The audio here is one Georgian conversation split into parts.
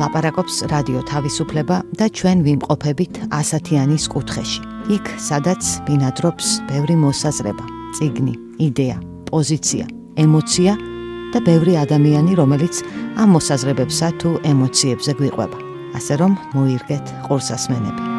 ლაპარაკობს რადიო თავისუფლება და ჩვენ ვიმყოფებით ასათიანის კუთხეში. იქ, სადაც ბინადრობს ბევრი მოსაზრება, წიგნი, იდეა, პოზიცია, ემოცია და ბევრი ადამიანი, რომელიც ამ მოსაზრებებსა თუ ემოციებზე გვიყვება. ასე რომ მოირგეთ ყურსასმენები.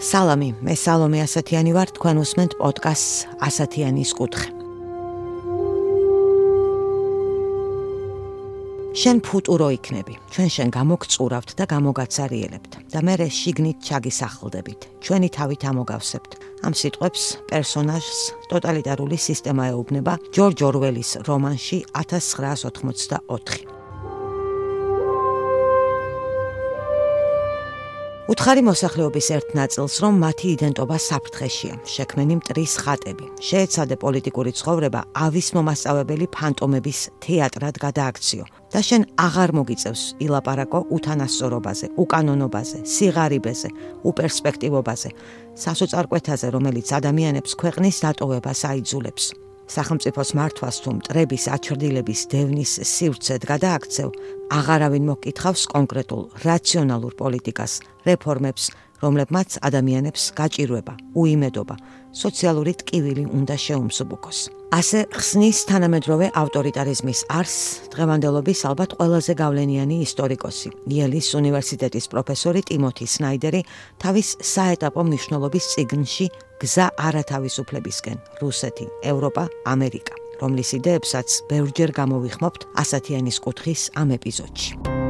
სალამი, მე სალომე ასათიანი ვარ, თქვენ უსმენთ პოდკასტს ასათიანის კუთხე. შენ ფუტურო იქნები, ჩვენ გამოგწურავთ და გამოგაცარიელებთ და მერე შიგნით ჩაგისახლდებით, ჩვენი თავით ამოგავსებთ. ამ სიტყვებს პერსონაჟს ტოტალიტარული სისტემა ეუბნება ჯორჯ ორველის რომანში 1984. უთხარი მოსახლეობის ერთ ნაწილს, რომ მათი იდენტობა საფრთხეშია, შექმნენი მტრის ხატები. შეეცადე პოლიტიკური ცხოვრება ავის მომასწავებელი ფანტომების თეატრად გადააქციო და შენ აღარ მოგიწევს ილაპარაკო უთანასწორობაზე, უკანონობაზე, სიღარიბეზე, უპერსპექტივობაზე, სასოწარკვეთაზე, რომელიც ადამიანებს ქვეყნის დატოვებას აიძულებს. სახელმწიფოს მართვას თუ მტრების აჩრდილების დევნის სივრცედ გადააქცევ, აღარავინ მოგკითხავს კონკრეტულ რაციონალურ პოლიტიკას, რეფორმებს, რომლებმაც ადამიანებს გაჭირვება, უიმედობა, სოციალური ტკივილი უნდა შეუმსუბუქოს. ასე ხსნის თანამედროვე ავტორიტარიზმის არსს დღევანდელობის ალბათ ყველაზე გავლენიანი ისტორიკოსი, იელის უნივერსიტეტის პროფესორი ტიმოთი სნაიდერი თავის საეტაპო მნიშვნელობის წიგნში გზა არათავისუფლებისკენ, რუსეთი, ევროპა, ამერიკა, რომლის იდეებსაც ბევრჯერ გამოვიხმობთ ასათიანის კუთხის ამ ეპიზოდში.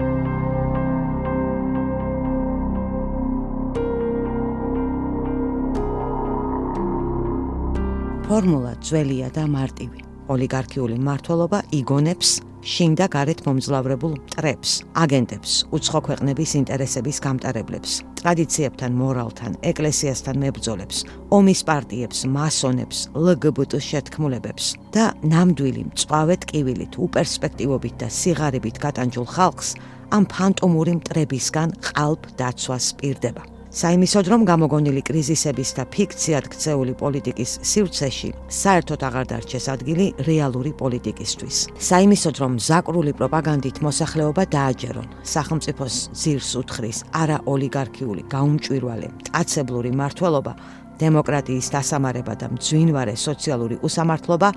ფორმულა ძველია და მარტივი. ოლიგარქიული მმართველობა იგონებს შინ და გარეთ მომძლავრებულ მტრებს, აგენტებს, უცხო ქვეყნების ინტერესების გამტარებლებს, ტრადიციებთან, მორალთან, ეკლესიასთან მებრძოლებს, ომის პარტიებს, მასონებს, LGBT შეთქმულებებს და ნამდვილი მწვავე ტკივილით, უპერსპექტივობით და სიღარიბით გატანჯულ ხალხს ამ ფანტომური მტრებისგან ყალბ დაცვას პირდება. საიმისოდ, რომ გამოგონილი კრიზისების და ფიქციად ქცეული პოლიტიკის სივრცეში საერთოდ აღარ დარჩეს ადგილი რეალური პოლიტიკისთვის. საიმისოდ, რომ მზაკრული პროპაგანდით მოსახლეობა დააჯერონ, სახელმწიფოს ძირს უთხრის არა ოლიგარქიული, გაუმჭვირვალე, მტაცებლური მმართველობა, დემოკრატიის დასამარება და მძვინვარე სოციალური უსამართლობა,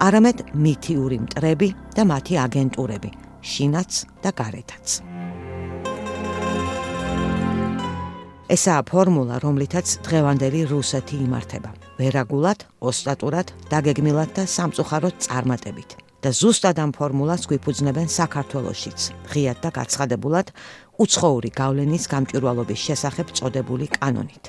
არამედ მითიური მტრები და მათი აგენტურები, შინაც და გარეთაც. ესაა ფორმულა, რომლითაც დღევანდელი რუსეთი იმართება. ვერაგულად, ოსტატურად, დაგეგმილად და სამწუხაროდ წარმატებით. და ზუსტად ამ ფორმულას გვიფუძნებენ საქართველოშიც, ღიად და გაცხადებულად უცხოური გავლენის გამჭვირვალობის შესახებ წოდებული კანონით.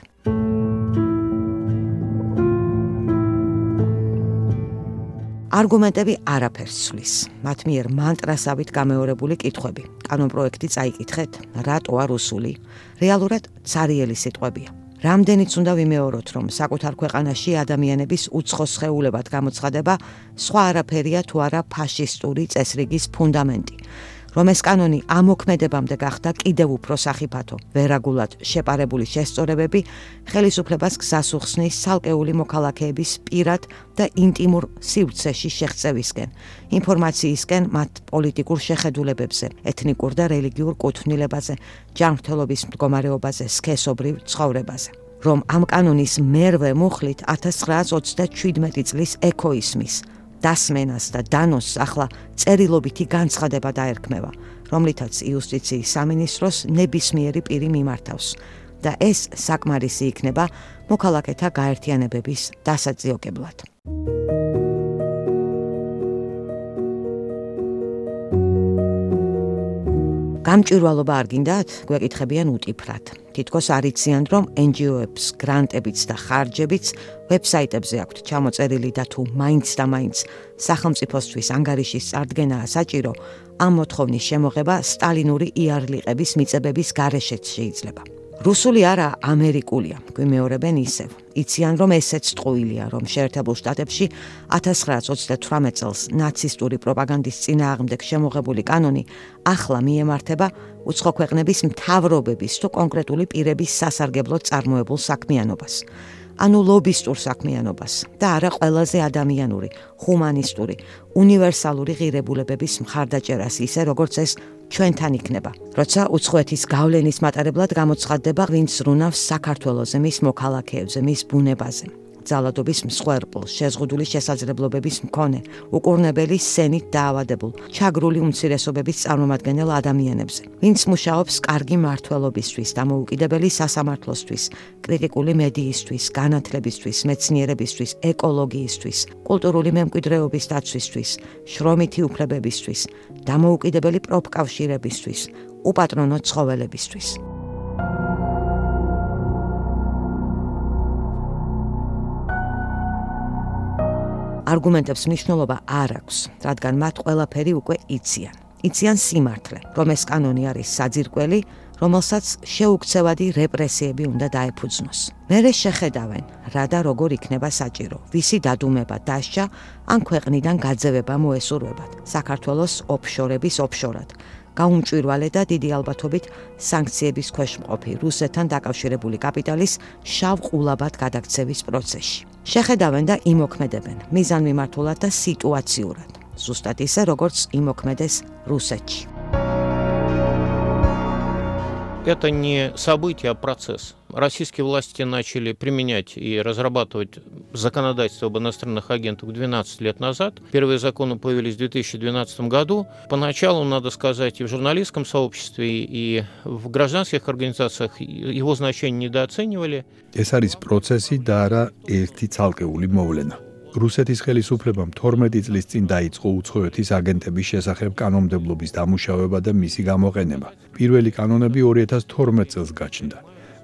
არგუმენტები არაფერს ცვლის. მათ მიერ მანტრასავით გამეორებული კითხვები. კანონპროექტი წაიკითხეთ, რატოა რუსული? რეალურად ცარიელი სიტყვებია. რამდენიც უნდა ვიმეოროთ, რომ საკუთარ ქვეყანაში ადამიანების უცხო სხეულებად გამოცხადება სხვა არაფერია თუ არა ფაშისტური წესრიგის ფუნდამენტი. რომ ეს კანონი ამოქმედებამდე გახდა კიდევ უფრო სახიფათო, ვერაგულად შეპარებული შესწორებები ხელისუფლებას გზას უხსნის ცალკეული მოქალაქეების პირად და ინტიმურ სივრცეში შეღწევისკენ, ინფორმაციისკენ მათ პოლიტიკურ შეხედულებებზე, ეთნიკურ და რელიგიურ კუთვნილებაზე, ჯანმრთელობის მდგომარეობაზე, სქესობრივ ცხოვრებაზე. რომ ამ კანონის მერვე მუხლით 1927 წლის ექოისმის დასმენას და დანოსს ახლა წერილობითი განცხადება დაერქმევა, რომლითაც იუსტიციის სამინისტროს ნებისმიერი პირი მიმართავს და ეს საკმარისი იქნება მოქალაქეთა გაერთიანებების დასაძიოგებლად. გამჭვირვალობა არ გინდათ? გვეკითხებიან უტიფრად. თითქოს არ იციან, რომ NGO-ებს გრანტებიც და ხარჯებიც ვებსაიტებზე აქვთ ჩამოწერილი და თუ მაინც და მაინც სახელმწიფოსთვის ანგარიშის წარდგენაა საჭირო, ამ მოთხოვნის შემოღება სტალინური იარლიყების მიწებების გარეშეც შეიძლება. რუსული არა, ამერიკულია, გვიმეორებენ ისევ. იციან, რომ ესეც ტყუილია, რომ შეერთებულ შტატებში 1928 წელს ნაცისტური პროპაგანდის წინააღმდეგ შემოღებული კანონი ახლა მიემართება უცხო ქვეყნების მთავრობების თუ კონკრეტული პირების სასარგებლოდ წარმოებულ საქმიანობას. ანუ ლობისტურ საქმიანობას და არა ყველაზე ადამიანური, ჰუმანისტური, უნივერსალური ღირებულებების მხარდაჭერას ისე, როგორც ეს ჩვენთან იქნება. როცა უცხოეთის გავლენის მატარებლად გამოცხადდება, ვინც ზრუნავს საქართველოზე, მის მოქალაქეებზე, მის ბუნებაზე. ძალადობის მსხვერპლ, შეზღუდული შესაძლებლობების მქონე, უკურნებელი სენით დაავადებულ, ჩაგრული უმცირესობების წარმომადგენელ ადამიანებზე, ვინც მუშაობს კარგი მმართველობისთვის, დამოუკიდებელი სასამართლოსთვის, კრიტიკული მედიისთვის, განათლებისთვის, მეცნიერებისთვის, ეკოლოგიისთვის, კულტურული მემკვიდრეობის დაცვისთვის, შრომითი უფლებებისთვის, დამოუკიდებელი პროფკავშირებისთვის, უპატრონო ცხოველებისთვის. არგუმენტებს მნიშვნელობა არ აქვს, რადგან მათ ყველაფერი უკვე იციან. იციან სიმართლე, რომ ეს კანონი არის საძირკველი, რომელსაც შეუქცევადი რეპრესიები უნდა დაეფუძნოს. მერე შეხედავენ, რა და როგორ იქნება საჭირო, ვისი დადუმება დასჯა, ან ქვეყნიდან გაძევება მოესურვებათ, საქართველოს ოფშორების ოფშორად. გაუმჭვირვალე და დიდი ალბათობით სანქციების ქვეშ მყოფი რუსეთთან დაკავშირებული კაპიტალის შავ ყულაბად გადაქცევის პროცესში. შეხედავენ და იმოქმედებენ მიზანმიმართულად და სიტუაციურად, ზუსტად ისე, როგორც იმოქმედეს რუსეთში. Это не событие, а процесс. Российские власти начали применять и разрабатывать законодательство об иностранных агентах 12 лет назад. Первые законы появились в 2012 году. Поначалу, надо сказать, и в журналистском сообществе, и в гражданских организациях его значение недооценивали. ეს არის პროცესი და არა ერთი ცალკეული მოვლენა. რუსეთის ხელისუფლებამ 12 წლის წინ დაიწყო უცხოეთის აგენტების შესახებ კანონმდებლობის დამუშავება და მისი გამოყენება. პირველი კანონები 2012 წელს გაჩნდა.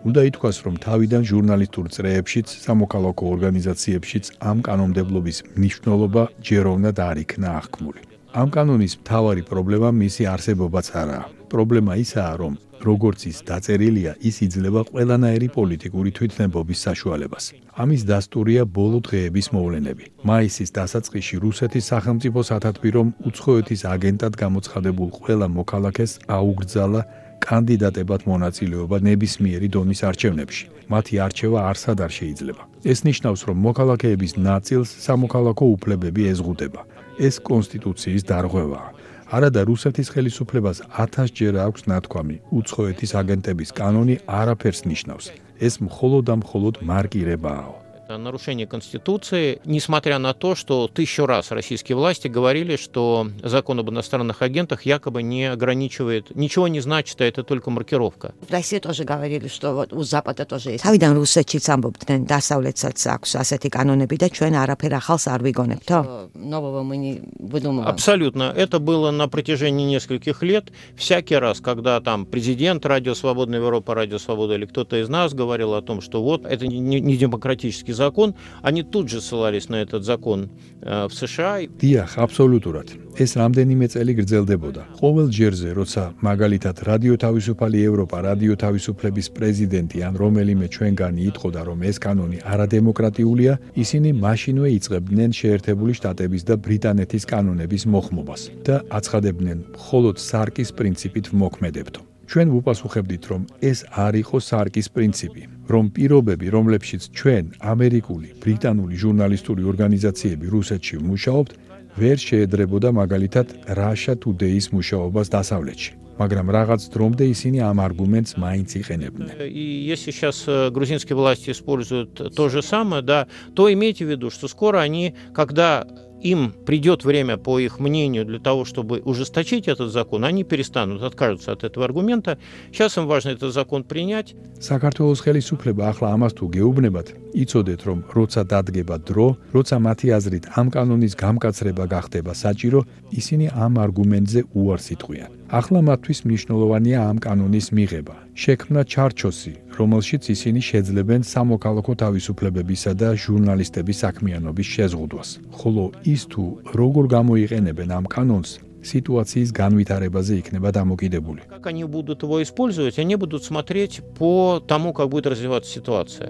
უნდა ითქვას, რომ თავიდან ჟურნალისტურ წრეებშიც, სამოქალაქო ორგანიზაციებშიც ამ კანონმდებლობის მნიშვნელობა ჯეროვნად არ იქნა აღქმული. ამ კანონის მთავარი პრობლემა მისი არსებობაც არაა. პრობლემა ისაა, რომ როგორც ის დაწერილია, ის იძლევა ყველანაირი პოლიტიკური თვითნებობის საშუალებას. ამის დასტურია ბოლო დღეების მოვლენები. მაისის დასაწყისში რუსეთის სახელმწიფო სათათბირომ უცხოეთის აგენტად გამოცხადებულ ყველა მოქალაქეს აუგრძალა კანდიდატებად მონაწილეობა ნებისმიერი დონის არჩევნებში. მათი არჩევა არსად არ შეიძლება. ეს ნიშნავს, რომ მოქალაქეების ნაწილს სამოქალაქო უფლებები ეზღუდება. ეს კონსტიტუციის დარღვევაა. არადა რუსეთის ხელისუფლებას 1000 ჯერ აქვს ნათქვამი, უცხოეთის აგენტების კანონი არაფერს ნიშნავს. ეს მხოლოდ და მხოლოდ მარკირებაა. Нарушение Конституции, несмотря на то, что 1000 раз российские власти говорили, что закон об иностранных агентах якобы не ограничивает, ничего не значит, а это только маркировка. В России тоже говорили, что вот у Запада тоже есть. Თავიდან რუსეთშიც ამბობდნენ, დასავლეთსაც აქვს ასეთი კანონები და ჩვენ არაფერ ახალს არ ვიგონებთო? Нового мы не выдумываем. Абсолютно. Это было на протяжении нескольких лет. Всякий раз, когда там президент Радио Свободная Европа, Радио Свобода или кто-то из нас говорил о том, что вот это не демократический закон, они тут же ссылались на этот закон в США. დიახ, აბსოლუტურად. ეს რამდენიმე წელი გრძელდებოდა. ყოველ ჯერზე, როცა მაგალითად რადიო თავისუფალი ევროპა, რადიო თავისუფლების პრეზიდენტი ან რომელიმე ჩვენგანი იტყოდა, რომ ეს კანონი არადემოკრატიულია, ისინი მაშინვე იწყებდნენ შეერთებული შტატების და ბრიტანეთის კანონების მოხმობას და აცხადებდნენ მხოლოდ სარკის პრინციპით ვმოქმედებთო. ჩვენ ვუპასუხებდით, რომ ეს არ იყო სარკის პრინციპი, რომ პირობები, რომლებშიც ჩვენ ამერიკული, ბრიტანული ჟურნალისტური ორგანიზაციები რუსეთში ვმუშაობთ, ვერ შეედრებოდა მაგალითად Russia Today-ის მუშაობას დასავლეთში. მაგრამ რაღაც დრომდე ისინი ამ არგუმენტს მაინც იყენებდნენ. И если сейчас грузинские власти используют то же самое, да, то имейте в виду, что скоро они, когда им придет время, по их мнению, для того, чтобы ужесточить этот закон, они перестанут, откажутся от этого аргумента. Сейчас им важно этот закон принять. საქართველოს ხელისუფლება ახლა ამას თუ გეუბნებათ, იცოდეთ, რომ როცა დადგება დრო, როცა მათი აზრით ამ კანონის გამკაცრება გახდება საჭირო, ისინი ამ არგუმენტზე უარს იტყვიან. ახლა მათთვის მნიშვნელოვანია ამ კანონის მიღება. შექმნა ჩარჩოსი, რომელშიც ისინი შეძლებენ სამოქალაქო თავისუფლებებისა და ჟურნალისტების საქმიანობის შეზღუდვას. ხოლო ის თუ როგორ გამოიყენებენ ამ კანონს, ситуацიის განვითარებაზე იქნება დამოკიდებული. Как они будут его использовать, они будут смотреть по тому, как будет развиваться ситуация.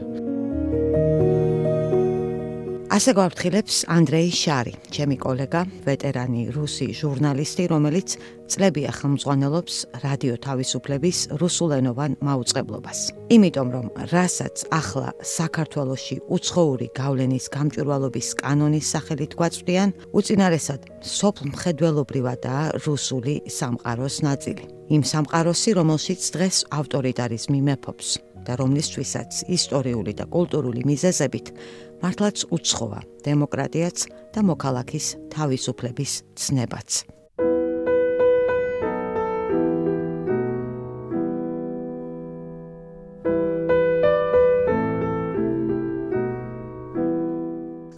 ასე გვაფრთხილებს ანდრეი შარი, ჩემი კოლეგა, ვეტერანი რუსი ჟურნალისტი, რომელიც წლებია ხელმძღვანელობს რადიო თავისუფლების რუსულენოვან მაუწყებლობას. იმიტომ რომ რასაც ახლა საქართველოში უცხოური გავლენის გამჭვირვალობის კანონის სახელით გვაწვდიან, უწინარესად სოფლ მხედველობრივადაა რუსული სამყაროს ნაწილი. იმ სამყაროსი, რომელშიც დღეს ავტორიტარიზმი მეფობს და რომლისთვისაც ისტორიული და კულტურული მიზეზებით მართლაც უცხოა დემოკრატიაც და მოქალაქის თავისუფლების ცნებაც.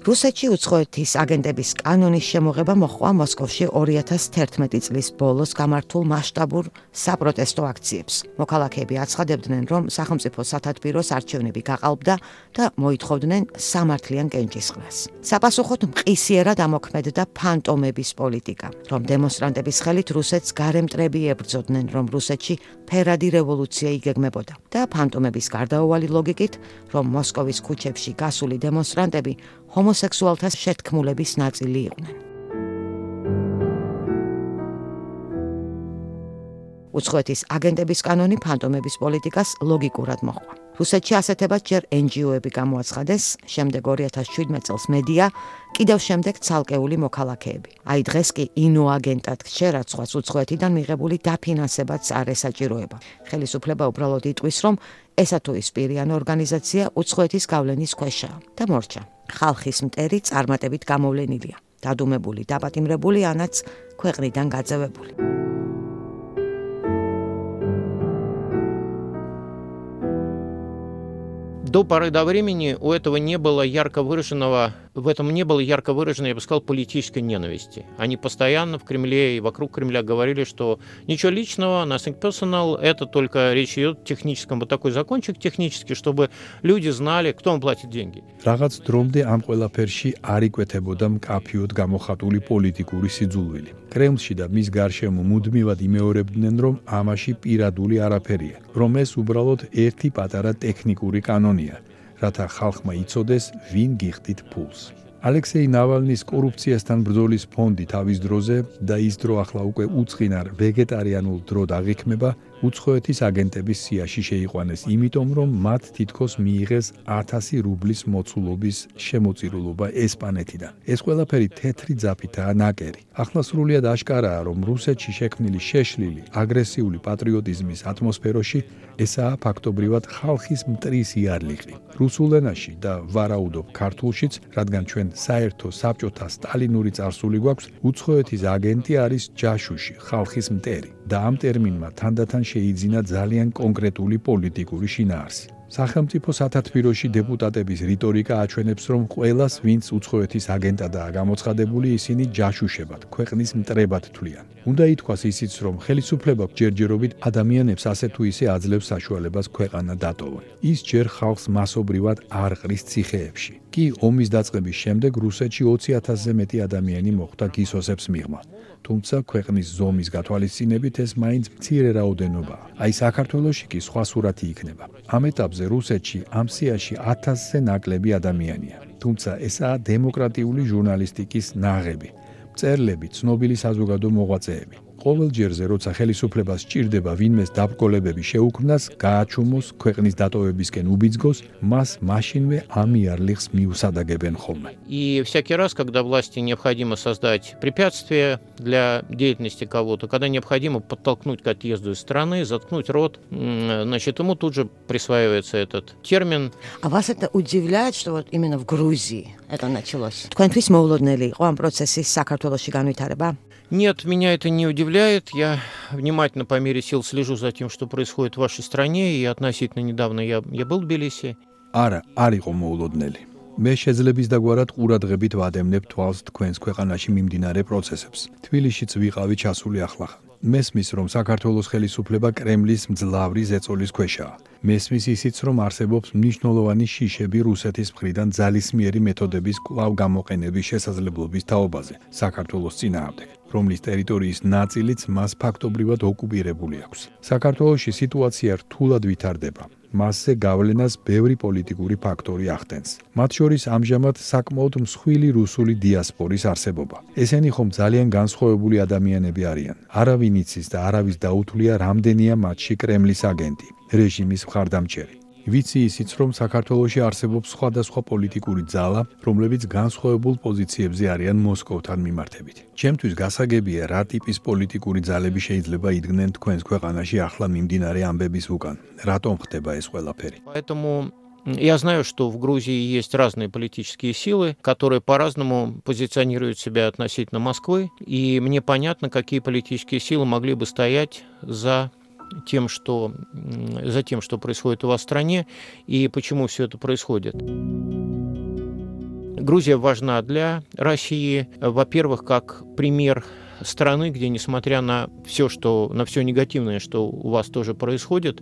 რუსეთში უცხოეთის აგენტების კანონის შემოღება მოჰყვა მოსკოვში 2011 წლის ბოლოს გამართულ მასშტაბურ საპროტესტო აქციებს. მოქალაქეები აცხადებდნენ, რომ სახელმწიფო სათათბიროს არჩევნები გაყალბდა და მოითხოვდნენ სამართლიან კენჭისყრას. საპასუხოდ მყისიერად ამოქმედდა ფანტომების პოლიტიკა, რომ დემონსტრანტების ხელით რუსეთს გარემტრები ებრძოდნენ, რომ რუსეთში ფერადი რევოლუცია იგეგმებოდა და ფანტომების გარდაუვალი ლოგიკით, რომ მოსკოვის ქუჩებში გასული დემონსტრანტები ჰომოსექსუალთა შეთქმულების ნაწილი იყვნენ. უცხოეთის აგენტების კანონი ფანტომების პოლიტიკას ლოგიკურად მოჰყვა. რუსეთში ასეთებად ჯერ NGO-ები გამოაცხადეს, შემდეგ 2017 წელს მედია, კიდევ შემდეგ ცალკეული მოქალაქეები. აი დღეს კი ინოაგენტად რჩერაცხვას უცხოეთიდან მიღებული დაფინანსებაც არ ესაჭიროება. ხელისუფლება უბრალოდ იტყვის, რომ ესა თუ ის პირიან ორგანიზაცია უცხოეთის გავლენის ქვეშაა და მორჩა. ხალხის მტერი წარმატებით გამოვლენილია, დადუმებული, დაპატიმრებული, ანაც ქვეყნიდან გაძევებული. До поры до времени у этого не было ярко выраженного, в этом не было ярко выраженной, я бы сказал, политической ненависти. Они постоянно в Кремле и вокруг Кремля говорили, что ничего личного, nothing personal, это только речь идет о техническом, вот такой закончик технический, чтобы люди знали, кто им платит деньги. Რაღაც დრომდე ამ ყველაფერში არ იკვეთებოდა მკაფიოდ გამოხატული პოლიტიკური სიძულვილი. კრემლში და მის გარშემო მუდმივად იმეორებდნენ, რომ ამაში პირადული არაფერია, რომ ეს უბრალოდ ერთი პატარა ტექნიკური კანონია, რათა ხალხმა იცოდეს, ვინ გიხდით ფულს. ალექსეი ნავალნის კორუფციასთან ბრძოლის ფონდი თავის დროზე და ის დრო ახლა უკვე უწყინარ ვეგეტარიანულ დრო დაღიქმება უცხოეთის აგენტების სიაში შეიყვანეს, იმიტომ რომ მათ თითქოს მიიღეს 1000 რუბლის მოცულობის შემოწირულობა ესპანეთიდან. ეს ყველაფერი თეთრი ძაფითაა ნაკერი. ახლა სრულიად აშკარაა, რომ რუსეთში შექმნილი შეშლილი, აგრესიული პატრიოტიზმის ატმოსფეროში ესაა ფაქტობრივად ხალხის მტრის იარლიყი. რუსულ ენაში და ვარაუდობ ქართულშიც, რადგან ჩვენ საერთო საბჭოთა სტალინური წარსული გვაქვს, უცხოეთის აგენტი არის ჯაშუში, ხალხის მტერი და ამ ტერმინმა თანდათან შეიძინა ძალიან კონკრეტული პოლიტიკური შინაარსი. სახელმწიფო სათათბიროში დეპუტატების რიტორიკა აჩვენებს, რომ ყველას, ვინც უცხოეთის აგენტადაა გამოცხადებული, ისინი ჯაშუშებად, ქვეყნის მტრებად თვლიან. უნდა ითქვას ისიც, რომ ხელისუფლება ჯერჯერობით ადამიანებს ასე თუ ისე აძლევს საშუალებას ქვეყანა დატოვონ. ის ჯერ ხალხს მასობრივად არ ყრის ციხეებში. კი ომის დაწყების შემდეგ რუსეთში 20,000-ზე მეტი ადამიანი მოხვდა გისოსებს მიღმა. თუმცა ქვეყნის ზომის გათვალისწინებით ეს მაინც მცირე რაოდენობაა. აი საქართველოში კი სხვა სურათი იქნება. ამ ეტაპზე რუსეთში ამ სიაში 1000-ზე ნაკლები ადამიანია. თუმცა ესაა დემოკრატიული ჟურნალისტიკის ნაღები, მწერლები, ცნობილი საზოგადო მოღვაწეები. ყოველ ჯერზე, როცა ხელისუფლებას სჭირდება ვინმეს დაბრკოლებები შეუქმნას, გააჩუმოს, ქვეყნის დატოვებისკენ უბიძგოს, მას მაშინვე ამ იარლიხს მიუსადაგებენ ხოლმე. И всякий раз, когда власти необходимо создать препятствия для деятельности кого-то, когда необходимо подтолкнуть к отъезду из страны, заткнуть рот, значит, ему тут же присваивается этот термин. А вас это удивляет, что вот именно в Грузии это началось? Თქვენთვის მოულოდნელი იყო ამ პროცესის საქართველოში განვითარება? Нет, меня это не удивляет. Я внимательно по мере сил слежу за тем, что происходит в вашей стране, и относительно недавно я был в Тбилиси. არა, არ იყო მოულოდნელი. მე შეძლების დაგვარად ყურადღებით ვადევნებ თვალს თქვენს ქვეყანაში მიმდინარე პროცესებს. თბილისშიც ვიყავი ჩასული ახლახან. მესმის, რომ საქართველოს ხელისუფლება კრემლის მძლავრი ზეწოლის ქვეშაა. მესმის ისიც, რომ არსებობს მნიშვნელოვანი შიშები რუსეთის მხრიდან ძალისმიერი მეთოდების კვლავ გამოყენების შესაძლებლობის თაობაზე საქართველოს წინააღმდეგ, რომლის ტერიტორიის ნაწილიც მას ფაქტობრივად ოკუპირებული აქვს. საქართველოში სიტუაცია რთულად ვითარდება. მასზე გავლენას ბევრი პოლიტიკური ფაქტორი ახდენს. მათ შორის ამჟამად საკმაოდ მსხვილი რუსული დიასპორის არსებობა. ესენი ხომ ძალიან განსხვავებული ადამიანები არიან. არავინ იცის და არავის დაუთვლია რამდენია მათში კრემლის აგენტი, რეჟიმის მხარდამჭერი. ვიცი ისიც, რომ საქართველოში არსებობს სხვადასხვა პოლიტიკური ძალა, რომლებიც განსხვავებულ პოზიციებზე არიან მოსკოვთან მიმართებით. ჩემთვის გასაგებია, რა ტიპის პოლიტიკური ძალები შეიძლება იდგნენ თქვენს ქვეყანაში ახლა მიმდინარე ამბების უკან. Ратом ხდება ეს ყველაფერი? Поэтому я знаю, что в Грузии есть разные политические силы, которые по-разному позиционируют себя относительно Москвы, и мне понятно, какие политические силы могли бы стоять за тем, что происходит у вас в стране и почему все это происходит. Грузия важна для России, во-первых, как пример страны, где, несмотря на все негативное, что у вас тоже происходит,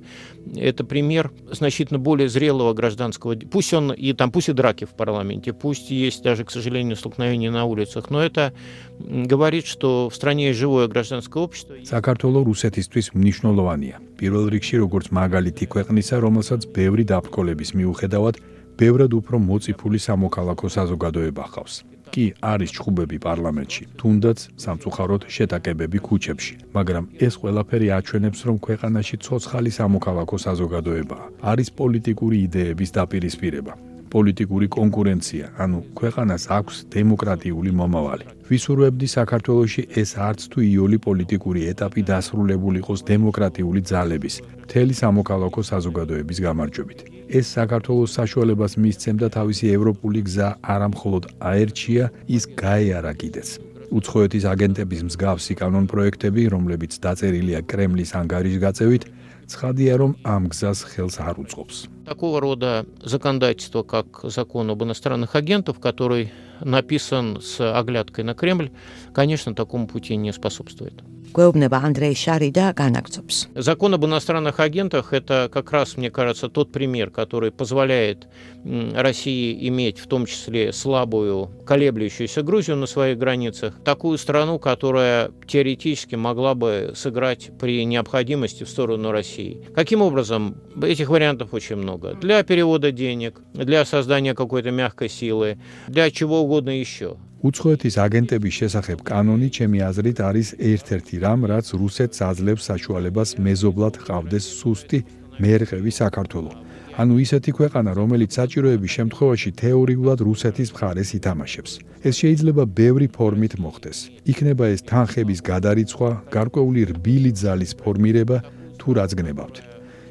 это пример значительно более зрелого гражданского, пусть и драки в парламенте, пусть есть даже, к сожалению, столкновения на улицах, но это говорит, что в стране есть живое гражданское общество. საქართველო რუსეთისთვის მნიშვნელოვანია. პირველ რიგში როგორც მაგალითი ქვეყნისა, რომელსაც ბევრი დაბრკოლების მიუხედავად ბევრად უფრო მოწიფული სამოქალაქო საზოგადოება ჰყავს. კი არის ჩხუბები პარლამენტში, თუნდაც სამწუხაროდ შეტაკებები ქუჩებში, მაგრამ ეს ყველაფერი აჩვენებს, რომ ქვეყანაში ცოცხალი სამოქალაქო საზოგადოებაა. არის პოლიტიკური იდეების დაპირისპირება, პოლიტიკური კონკურენცია, ანუ ქვეყანას აქვს დემოკრატიული მომავალი. ვისურვებდი საქართველოში ეს არც თუ იოლი პოლიტიკური ეტაპი დასრულებული იყოს დემოკრატიული ძალების, მთელი სამოქალაქო საზოგადოების გამარჯვებით. ეს საქართველოს საშუალებას მისცემდა თავისი ევროპული გზა არა მხოლოდ აერჩია, ის გაეარა კიდეც. უცხოეთის აგენტების მსგავსი კანონპროექტები, რომლებიც დაწერილია კრემლის ანგარიშგაწევით, ცხადია, რომ ამ გზას ხელს არ უწყობს. Такого рода законодательство, как закон об иностранных агентах, который написан с оглядкой на Кремль, конечно, такому пути не способствует. გვეუბნება ანდრეი შარი და განაგრძობს. Закон об иностранных агентах – это как раз, мне кажется, тот пример, который позволяет России иметь в том числе слабую, колеблющуюся Грузию на своих границах, такую страну, которая теоретически могла бы сыграть при необходимости в сторону России. Каким образом? Этих вариантов очень много. Для перевода денег, для создания какой-то мягкой силы, для чего угодно еще. უცხოეთის აგენტების შესახებ კანონი, ჩემი აზრით, არის ერთ-ერთი რამ, რაც რუსეთს აძლევს საშუალებას მეზობლად ჰყავდეს სუსტი მერყევი საქართველო. ანუ ისეთი ქვეყანა, რომელიც საჭიროების შემთხვევაში თეორიულად რუსეთის მხარეს ითამაშებს. ეს შეიძლება ბევრი ფორმით მოხდეს. იქნება ეს თანხების გადარიცხვა, გარკვეული რბილი ძალის ფორმირება თუ რაც გნებავთ.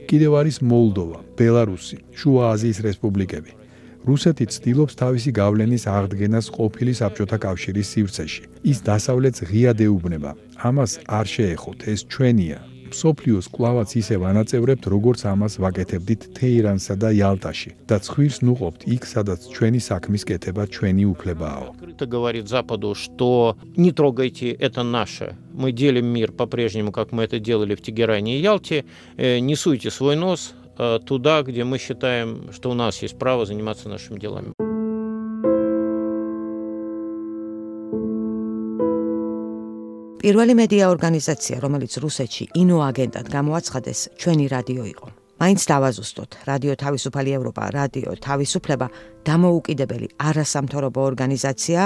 კიდევ არის მოლდოვა, ბელარუსი, შუა აზიის რესპუბლიკები. რუსეთი ცდილობს თავისი გავლენის აღდგენას ყოფილი საბჭოთა კავშირის სივრცეში. ის დასავლეთს ღიად ეუბნება. ამას არ შეეხოთ, ეს ჩვენია. მსოფლიოს კვლავაც ისევ ანაწევრებთ, როგორც ამას ვაკეთებდით თეირანსა და ялტაში და ცხვირს ნუყოფთ იქ, სადაც ჩვენი საქმის კეთება ჩვენი უფლებაა. Открыто говорит Западу, что не трогайте, это наше. Мы делим мир по-прежнему, как мы это делали в Тегеране и Ялте. Не суйте свой нос туда, где мы считаем, что у нас есть право заниматься нашими делами. პირველი მედია ორგანიზაცია, რომელიც რუსეთში ინოაგენტად გამოაცხადეს, ჩვენი რადიო იყო. მაინც დავაზუსტოთ, რადიო თავისუფალი ევროპა, რადიო თავისუფლება დამოუკიდებელი არასამთავრობო ორგანიზაცია,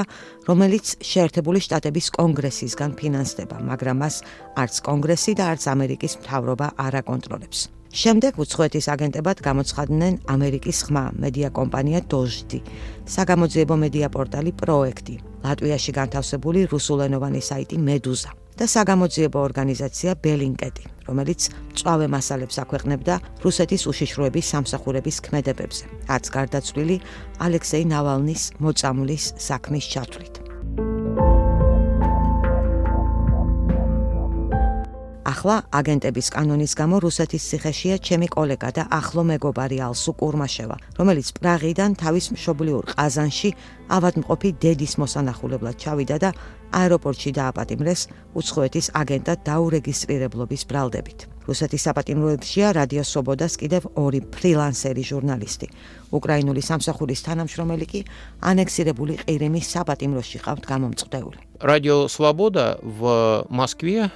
რომელიც შეერთებული შტატების კონგრესისგან ფინანსდება, მაგრამ მას არც კონგრესი და არც ამერიკის მთავრობა არ აკონტროლებს. შემდეგ უცხოეთის აგენტებად გამოცხადნენ ამერიკის ხმა მედია კომპანია დოჟდი, საგამოძიებო მედია პორტალი პროექტი, ლატვიაში განთავსებული რუსულენოვანი საიტი მედუზა და საგამოძიებო ორგანიზაცია ბელინკეტი, რომელიც მწვავე მასალებს აქვეყნებდა რუსეთის უშიშროების სამსახურების ქმედებებზე, არც გარდაცვლილი ალექსეი ნავალნის მოწამვლის საქმის ჩათვლით. ახლა აგენტების კანონის გამო რუსეთის ციხეშია ჩემი კოლეგა და ახლო მეგობარი ალსუ კურმაშევა, რომელიც პრაღიდან თავის მშობლიურ ყაზანში ავადმყოფი დედის მოსანახულებლად ჩავიდა და აეროპორტში დააპატიმრეს უცხოეთის აგენტად დაურეგისტრირებლობის ბრალდებით. რუსეთის საპატიმროებშია რადიო სვობოდას კიდევ ორი ფრილანსერი ჟურნალისტი. უკრაინული სამსახურის თანამშრომელი კი ანექსირებული ყირიმის საპატიმროში ყავთ გამომწყდეული. Радио «Свобода» в Москве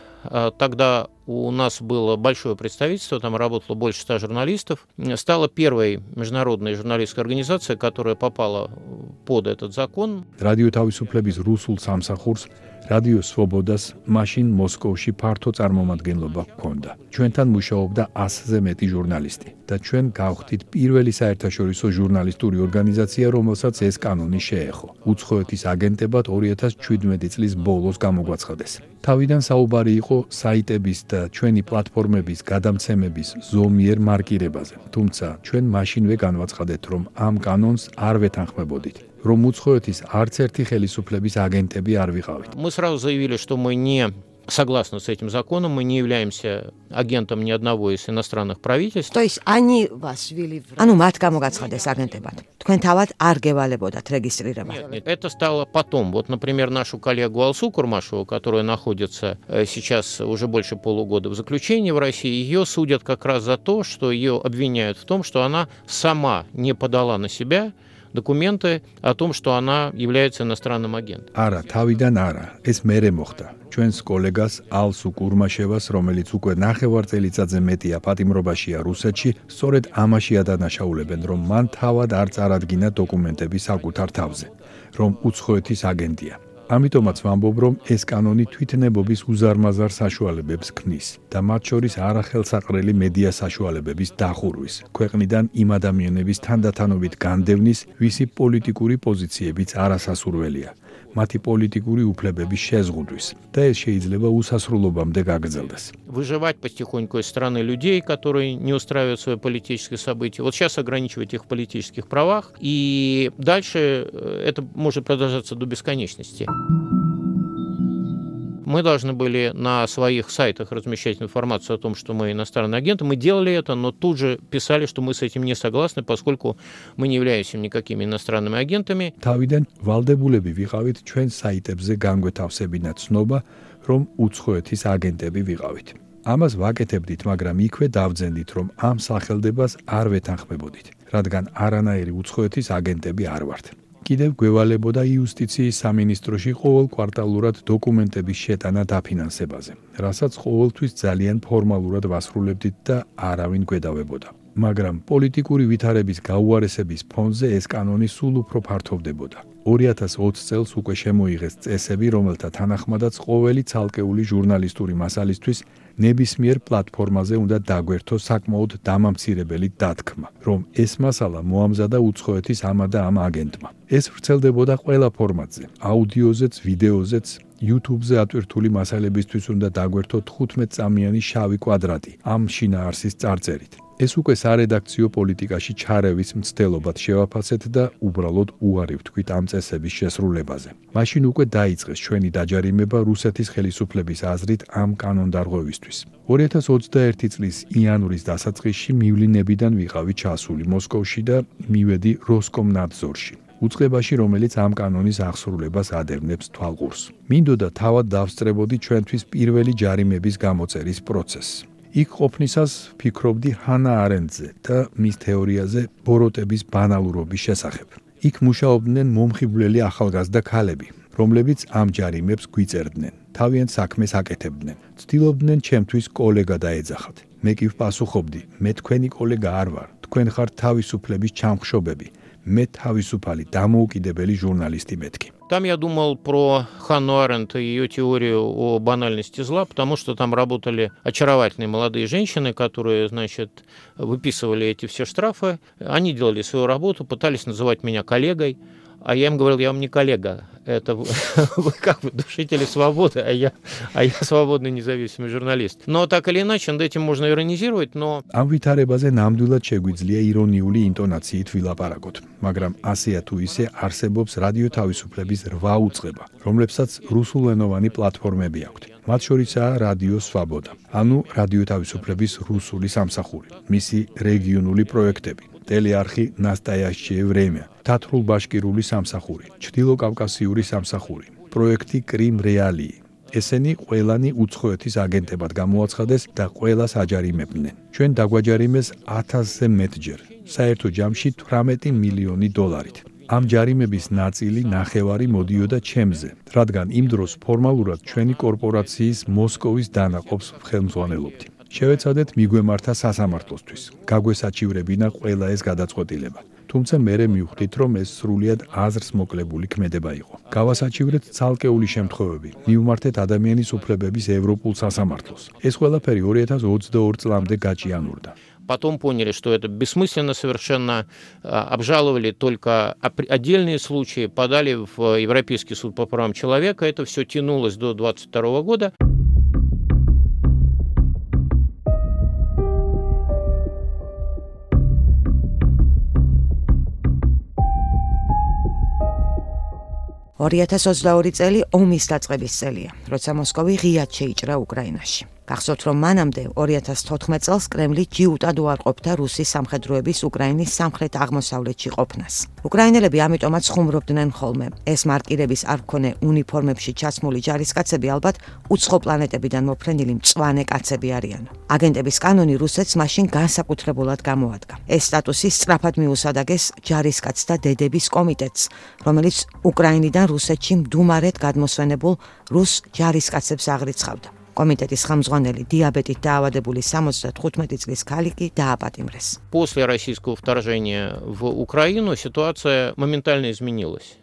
тогда у нас было большое представительство, там работало больше 100 журналистов, стала первой международной журналистской организацией, которая попала под этот закон. Radio თავისუფლების რუსულ სამსახურს რადიო სვობოდას მაშინ მოსკოვში ფართო წარმომადგენლობა ჰქონდა. ჩვენთან მუშაობდა 100-ზე მეტი ჟურნალისტი და ჩვენ გავხდით პირველი საერთაშორისო ჟურნალისტური ორგანიზაცია, რომელსაც ეს კანონი შეეხო. უცხოეთის აგენტებად 2017 წლის ბოლოს გამოგვაცხადეს. თავიდან საუბარი იყო საიტების და ჩვენი პლატფორმების გადამცემების ზომიერ მარკირებაზე. თუმცა ჩვენ მაშინვე განვაცხადეთ, რომ ამ კანონს არ ვეთანხმებოდით. რომ უცხოეთის არც ერთი ხელისუფლების აგენტები არ ვიყავით. Мы сразу заявили, что мы не согласны с этим законом, мы не являемся агентом ни одного из иностранных правительств. То есть они вас ввели в... ანუ მათ გამოგაცხადეს აგენტებად. თქვენ თავად არ გევალებოდათ რეგისტრირება. Нет, это стало потом. Вот, например, нашу коллегу Алсу Курмашеву, которая находится сейчас уже больше полугода в заключении в России, ее судят как раз за то, что ее обвиняют в том, что она сама не подала на себя документы о том, что она является иностранным агентом. არა, თავიდან არა, ეს მერე მოხდა. ჩვენს კოლეგას ალსუ კურმაშევას, რომელიც უკვე 9 წელიწადზე მეტია პატიმრობაშია რუსეთში, სწორედ ამაში ადანაშაულებენ, რომ მან თავად არ წარადგინა დოკუმენტები საკუთარ თავზე, რომ უცხოეთის აგენტია. ამიტომაც ვამბობ, რომ ეს კანონი თვითნებობის უზარმაზარ საშუალებებს ქმნის და მათ შორის არახელსაყრელი მედია საშუალებების დახურვის, ქვეყნიდან იმ ადამიანების თანდათანობით განდევნის, ვისი პოლიტიკური პოზიციებიც არასასურველია, მათი პოლიტიკური უფლებების შეზღუდვის და ეს შეიძლება უსასრულობამდე გაგრძელდეს. Выживать потихоньку из страны людей, которые не устраивают свои политические события. Вот сейчас ограничивать их в политических правах, и дальше это может продолжаться до бесконечности. Мы должны были на своих сайтах размещать информацию о том, что мы иностранные агенты. Мы делали это, но тут же писали, что мы с этим не согласны, поскольку мы не являемся никакими иностранными агентами. თავიდან ვალდებულები ვიყავით ჩვენ საიტებზე განგვეთავსებინათ ცნობა, რომ უცხოეთის აგენტები ვიყავით. ამას ვაკეთებდით, მაგრამ იქვე დავძენდით, რომ ამ სახელდებას არ ვეთანხმებოდით, რადგან არანაირი უცხოეთის აგენტები არ ვართ. კიდევ გვევალებოდა იუსტიციის სამინისტროში ყოველ კვარტალურად დოკუმენტების შეტანა დაფინანსებაზე, რასაც ყოველთვის ძალიან ფორმალურად ვასრულებდით და არავინ გვედავებოდა. მაგრამ პოლიტიკური ვითარების გაუარესების ფონზე ეს კანონი სულ უფრო ფართოვდებოდა. 2020 წელს უკვე შემოიღეს წესები, რომელთა თანახმადაც ყოველი ცალკეული ჟურნალისტური მასალისთვის ნებისმიერ პლატფორმაზე უნდა დაგვერთოს საკმაოდ დამამცირებელი დათქმა, რომ ეს მასალა მოამზადა უცხოეთის ამა და ამ აგენტმა. ეს ვრცელდებოდა ყველა ფორმატზე, აუდიოზეც, ვიდეოზეც, YouTube-ზე ატვირთული მასალებისთვის უნდა დაგვერთო 15 წამიანი შავი კვადრატი ამ შინაარსის წარწერით. ეს უკვე სარედაქციო პოლიტიკაში ჩარევის მცდელობად შევაფასეთ და უბრალოდ უარი ვთქვით ამ წესების შესრულებაზე. მაშინ უკვე დაიწყეს ჩვენი დაჯარიმება რუსეთის ხელისუფლების აზრით ამ კანონდარღვევისთვის. 2021 წლის იანვრის დასაწყისში მივლინებიდან ვიყავი ჩასული მოსკოვში და მივედი როსკომნადზორში. უწყებაში, რომელიც ამ კანონის აღსრულებას ადევნებს თვალყურს. მინდოდა თავად დავსწრებოდი ჩვენთვის პირველი ჯარიმების გამოწერის პროცესს. იქ ყოფნისას ფიქრობდი ჰანა არენდზე და მის თეორიაზე ბოროტების ბანალურობის შესახებ. იქ მუშაობდნენ მომხიბვლელი ახალგაზრდა ქალები, რომლებიც ამ ჯარიმებს გვიწერდნენ, თავიანთ საქმეს აკეთებდნენ. ცდილობდნენ ჩემთვის კოლეგა დაეძახათ. მე კი ვპასუხობდი, მე თქვენი კოლეგა არ ვარ, თქვენ ხართ თავისუფლების ჩამხშობები. მე თავისუფალი დამოუკიდებელი ჟურნალისტი მეთქი. Там я думал про Ханну Аренд и ее теорию о банальности зла, потому что там работали очаровательные молодые женщины, которые, значит, выписывали эти все штрафы. Они делали свою работу, пытались называть меня коллегой, а я им говорил, я вам не коллега, это вы как бы душители свободы, а я свободный независимый журналист. Но так или иначе, над этим можно иронизировать, но... ამ ვითარებაზე ნამდვილად შეგვიძლია ირონიული ინტონაციით ვილაპარაკოთ, მაგრამ ასეა თუ ისე არსებობს რადიო თავისუფლების 8 უწყება, რომლებსაც რუსულენოვანი პლატფორმები აქვთ. მათ შორისაა რადიო სვაბოდა, ანუ რადიო თავისუფლების რუსული სამსახური, მისი რეგიონული პროექტები, ტელეარხი ნასტაიაშჩიე ვრემია, თათრულ-ბაშკირული სამსახური, ჩრდილოკავკასიური სამსახური, პროექტი კრიმ რეალии. ესენი ყველანი უცხოეთის აგენტებად გამოაცხადეს და ყველას აჯარიმებდნენ. ჩვენ დაგვაჯარიმეს 1000-ზე მეტჯერ, საერთო ჯამში $18 მილიონი. ამ ჯარიმების ნაწილი ნახევარი მოდიოდა ჩემზე, რადგან იმ დროს ფორმალურად ჩვენი კორპორაციის მოსკოვის დანაყოფს ხელმძღვანელობდი. შევეცადეთ მიგვემართა სასამართლოსთვის. გაგვესაჩივრებინა ყველა ეს გადაწყვეტილება. თუმცა მერე მივხვდით, რომ ეს სრულიად აზრს მოკლებული ქმედება იყო. გავასაჩივრეთ ცალკეული შემთხვევები. მივმართეთ ადამიანის უფლებების ევროპულ სასამართლოს. ეს ყველაფერი 2022 წლამდე გაჭიანურდა. Потом поняли, что это бессмысленно совершенно, обжаловали только отдельные случаи, подали в Европейский суд по правам человека. Это все тянулось до 2022 года. წელი ომის დაწყების წელია, როცა მოსკოვი ღიად შეიჭრა უკრაინაში. გახსოვთ, რომ მანამდე 2014 წელს კრემლი ჯიუტად უარყოფდა რუსის სამხედროების უკრაინის სამხრეთ-აღმოსავლეთში ყოფნას. უკრაინელები ამიტომაც ხუმრობდნენ ხოლმე. ეს მარკირების არ მქონე უნიფორმებში ჩაცმული ჯარისკაცები ალბათ უცხო პლანეტებიდან მოფრენილი მწვანე კაცები არიან. აგენტების კანონი რუსეთს მაშინ განსაკუთრებულად გამოადგა. ეს სტატუსი სწრაფად მიუსადაგეს ჯარისკაცთა დედების კომიტეტს, რომელიც უკრაინიდან რუსეთში მდუმარედ გადმოსვენებულ რუს ჯარისკაცებს აღრიცხავდა. Комитетის ხელმძღვანელი диабетით დაავადებული 75 წლის ქალი კი დააპატიმრეს. После российского вторжения в Украину ситуация моментально изменилась.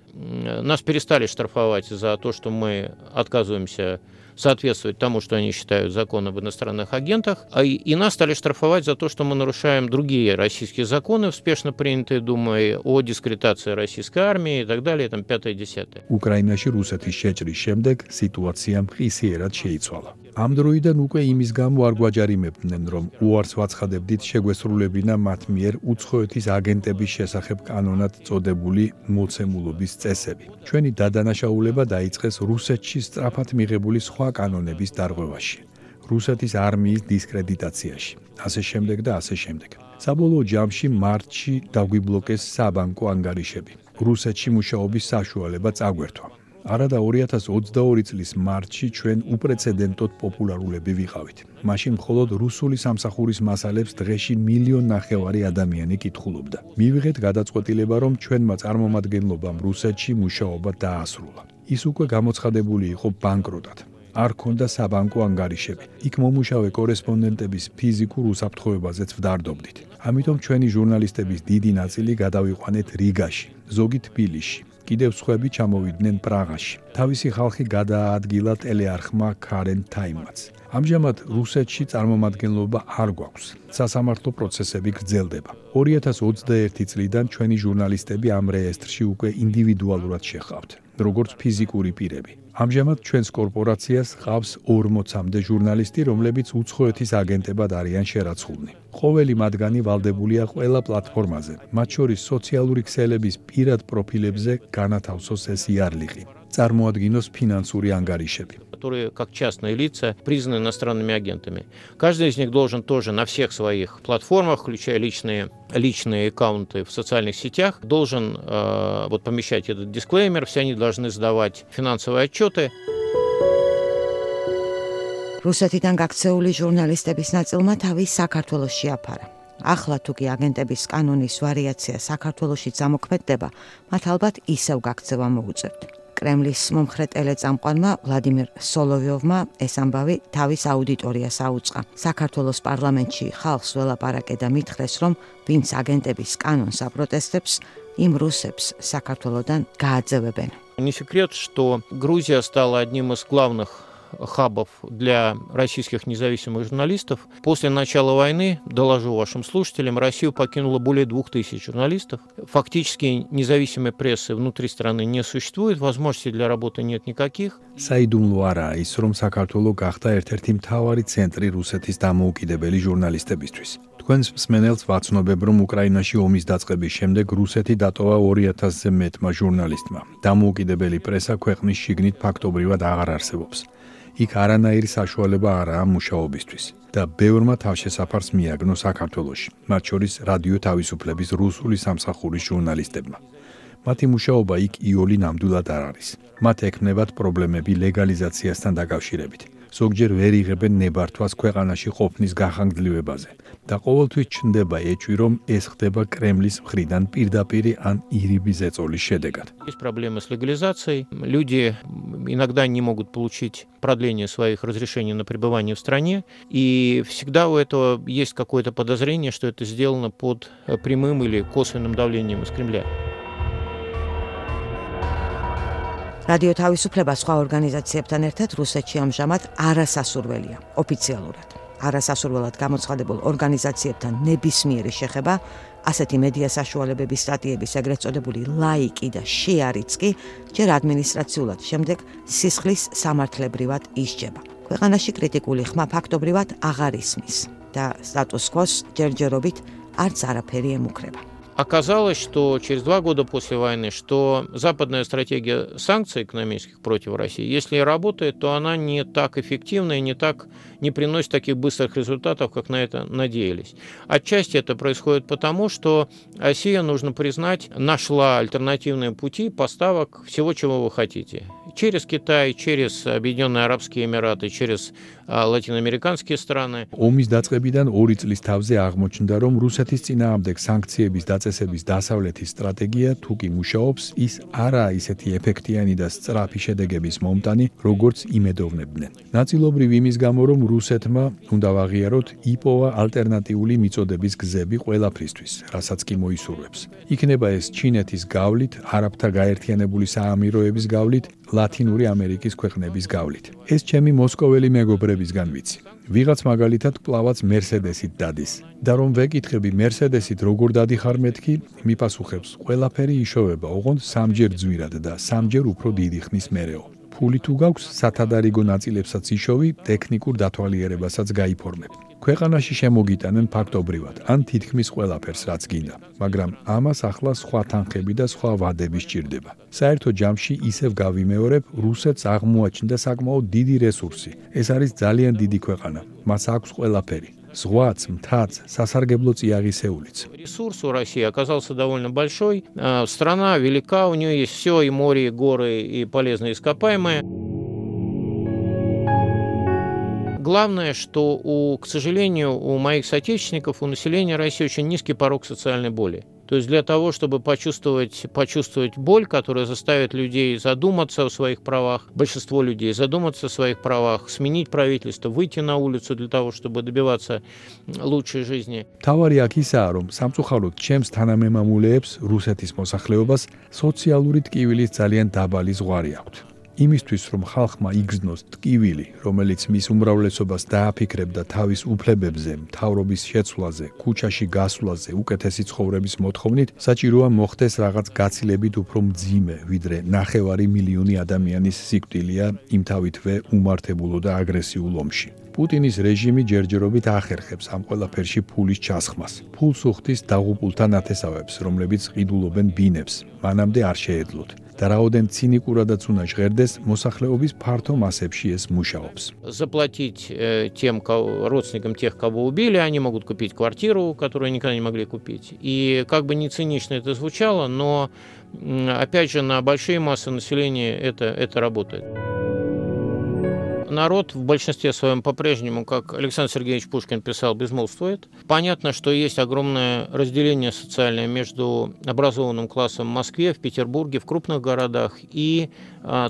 Нас перестали штрафовать за то, что мы отказываемся соответствовать тому, что они считают закон об иностранных агентах, и нас стали штрафовать за то, что мы нарушаем другие российские законы, успешно принятые Думой, о дискредитации российской армии и так далее, там 5-10. უკრაინაში რუსეთის შეჭრის შემდეგ სიტუაცია მყისიერად შეიცვალა. ამ დროიდან უკვე იმის გამო არ გვაჯარიმებდნენ, რომ უარს ვაცხადებდით შეგვესრულებინა მათ მიერ უცხოეთის აგენტების შესახებ კანონად წოდებული მოცემულობის წესები. ჩვენი დადანაშაულება დაიწყეს რუსეთში სწრაფად მიღებული სხვა კანონების დარღვევაში, რუსეთის არმიის დისკრედიტაციაში, ასე შემდეგ და ასე შემდეგ. საბოლოო ჯამში მარტში დაგვიბლოკეს საბანკო ანგარიშები. რუსეთში მუშაობის საშუალება წაგვერთვა. არადა 2022 წლის მარტში ჩვენ უპრეცედენტოდ პოპულარულები ვიყავით. მაშინ მხოლოდ რუსული სამსახურის მასალებს დღეში 1.5 მილიონი ადამიანი კითხულობდა. მივიღეთ გადაწყვეტილება, რომ ჩვენმა წარმომადგენლობამ რუსეთში მუშაობა დაასრულა. ის უკვე გამოცხადებული იყო ბანკროტად. არ ქონდა საბანკო ანგარიშები. იქ მომუშავე კორესპონდენტების ფიზიკურ უსაფრთხოებაზეც ვდარდობდით. ამიტომ ჩვენი ჟურნალისტების დიდი ნაწილი გადავიყვანეთ რიგაში, ზოგი თბილისში. კიდევ სხვები ჩამოვიდნენ პრაღაში. თავისი ხალხი გადააადგილა ტელეარხმა Current Time-ს. ამჟამად რუსეთში წარმომადგენლობა არ გვაქვს. სასამართლო პროცესები გრძელდება. 2021 წლიდან ჩვენი ჟურნალისტები ამ რეესტრში უკვე ინდივიდუალურად შეხავთ, როგორც ფიზიკური პირები. ამჟამად ჩვენს კორპორაციას ყავს 40-მდე ჟურნალისტი, რომლებიც უცხოეთის აგენტებად არიან შერაცხულნი. ყოველი მათგანი ვალდებულია ყველა პლატფორმაზე, მათ შორის სოციალური ქსელების პირად პროფილებზე განათავსოს ეს იარლიყი. წარმოადგინოს финансовые ангаришები, которые как частные лица признаны иностранными агентами. Каждый из них должен тоже на всех своих платформах, включая личные аккаунты в социальных сетях, должен помещать этот дисклеймер, все они должны сдавать финансовые отчеты. რუსეთიდან გაქცეული ჟურნალისტების ნაწილმა თავი საქართველოს შეაფარა. ახლა თუ კი აგენტების კანონის ვარიაცია საქართველოშიც ამოქმედდება, მათ ალბათ ისევ გაქცევა მოუწევთ. კრემლის მომხრე ტელეწამყვანმა ვლადიმერ სოლოვიოვმა ეს ამბავი თავის აუდიტორიას აუწყა. საქართველოს პარლამენტში ხალხს ველაპარაკე და მითხრეს, რომ ვინც აგენტების კანონს აპროტესტებს, იმ რუსებს საქართველოდან გააძევებენ. Не секрет, что Грузия стала одним из главных хабов для российских независимых журналистов. После начала войны, доложу вашим слушателям, Россию покинуло более 2000 журналистов. Фактически независимой прессы внутри страны не существует, возможностей для работы нет никаких. საიდუმლო არაა ის, რომ საქართველო გახდა ერთ-ერთი მთავარი ცენტრი რუსეთის დამოუკიდებელი ჟურნალისტებისთვის. თქვენს მსმენელს ვაცნობებ, რომ უკრაინაში ომის დაწყების შემდეგ რუსეთი დატოვა 2000-ზე მეტმა ჟურნალისტმა. დამოუკიდებელი პრესა ქვეყნის შიგნით ფაქტობრივად აღარ არსებობს. იქ არანაირი საშუალება არაა მუშაობისთვის და ბევრმა თავშესაფარს მიაგნო საქართველოში, მათ შორის რადიო თავისუფლების რუსული სამსახურის ჟურნალისტებმა. მათი მუშაობა იქ იოლი ნამდვილად არ არის. მათ ექმნებათ პრობლემები ლეგალიზაციასთან დაკავშირებით. ზოგჯერ ვერ იღებენ ნებართვას ქვეყანაში ყოფნის გახანგრძლივებაზე და ყოველთვის ჩნდება ეჭვი, რომ ეს ხდება კრემლის მხრიდან პირდაპირ ან ირიბი ზეწოლის შედეგად. Есть проблемы с легализацией. Люди иногда не могут получить продление своих разрешений на пребывание в стране, и всегда у этого есть какое-то подозрение, что это сделано под прямым или косвенным давлением из Кремля. რადიო თავისუფლება სხვა ორგანიზაციებთან ერთად რუსეთში ამჟამად არასასურველია, ოფიციალურად. არასასურველად გამოცხადებულ ორგანიზაციებთან ნებისმიერი შეხება, ასეთი მედია საშუალებების სტატიების ეგრეთ წოდებული ლაიკი და შეარიც კი ჯერ ადმინისტრაციულად, შემდეგ სისხლის სამართლებრივად ისჯება. ქვეყანაში კრიტიკული ხმა ფაქტობრივად აღარ ისმის და სტატუს-კვოს ჯერჯერობით არც არაფერი ემუქრება. Оказалось, что через 2 года после войны, что западная стратегия санкций экономических против России, если и работает, то она не так эффективна и не приносит таких быстрых результатов, как на это надеялись. Отчасти это происходит потому, что Россия, нужно признать, нашла альтернативные пути поставок всего, чего вы хотите. Через Китай, через Объединенные Арабские Эмираты, через латиноамериканские страны. ომის დაწყებიდან 2 წლის თავზე აღმოჩნდა, რომ რუსეთის წინააღმდეგ სანქციების დაწესების დასავლეთის სტრატეგია თუ კი მუშაობს, ის არაა ისეთი ეფექტიანი და სწრაფი შედეგების მომტანი, როგორც იმედოვნებდნენ. ნაწილობრივ იმის გამო, რომ რუსეთმა, უნდა ვაღიაროთ, იპოვა ალტერნატიული მიწოდების გზები ყველაფრისთვის, რასაც კი მოისურვებს. იქნება ეს ჩინეთის გავლით, არაბთა გაერთიანებული საამიროების გავლით, ლათინური ამერიკის ქვეყნების გავლით. ეს ჩემი მოსკოველი მეგობრებისგან ვიცი. ვიღაც მაგალითად კვლავაც მერსედესით დადის. და რომ ვეკითხები მერსედესით როგორ დადიხარ მეთქი, მიპასუხებს, ყველაფერი იშოვება, ოღონდ 3ჯერ ძვირად და 3ჯერ უფრო დიდი ხნის მერეო. ფული თუ გაქვს, სათადარიგო ნაწილებსაც იშოვი, ტექნიკურ დათვალიერებასაც გაიფორმებ. ქვეყანაში შემოგიტანენ ფაქტობრივად, ან თითქმის ყველაფერს, რაც გინდა, მაგრამ ამას ახლა სხვა თანხები და სხვა ვადები სჭირდება. საერთო ჯამში ისევ გავიმეორებ, რუსეთს აღმოაჩნდა საკმაოდ დიდი რესურსი. ეს არის ძალიან დიდი ქვეყანა, მას აქვს ყველაფერი. Зღვაც, მთაც, სასარგებლო წიაღისეულიც. Ресурс у России оказался довольно большой. Страна велика, у нее есть все, и море, и горы, и полезные ископаемые. Главное, что, к сожалению, у моих соотечественников, у населения России очень низкий порог социальной боли. То есть для того, чтобы почувствовать боль, которая заставит людей задуматься о своих правах, большинство людей задуматься о своих правах, сменить правительство, выйти на улицу для того, чтобы добиваться лучшей жизни. თავარი აქ ისაა, რომ სამწუხაროდ ჩემს თანამემამულეებს რუსეთის მოსახლეობას სოციალური ტკივილის ძალიან დაბალი ზღვარი აქვთ. იმისთვის, რომ ხალხმა იგრძნოს ტკივილი, რომელიც მის უმრავლესობას დააფიქრებდა თავის უფლებებზე, მთავრობის შეცვლაზე, ქუჩაში გასვლაზე, უკეთესი ცხოვრების მოთხოვნით, საჭიროა მოხდეს რაღაც გაცილებით უფრო მძიმე, ვიდრე 9 მილიონი ადამიანის სიკვდილია იმთავითვე უმართებულო და აგრესიულ ომში. პუტინის რეჟიმი ჯერჯერობით ახერხებს ამ ყველაფერში ფულის ჩასხმას. ფულს უხდის დაღუპულთა ნათესავებს, რომლებიც ყიდულობენ бинებს, მანამდე არ შეეძლოთ. და რაოდენ цинიკურადაც უნდა ჟღერდეს, მოსახლეობის ფართო მასებში ეს მუშაობს. Заплатить тем родственникам тех, кого убили, они могут купить квартиру, которую никогда не могли купить. И как бы не цинично это звучало, но опять же на большие массы населения это работает. Народ в большинстве своем по-прежнему, как Александр Сергеевич Пушкин писал, безмолвствует. Понятно, что есть огромное разделение социальное между образованным классом в Москве, в Петербурге, в крупных городах и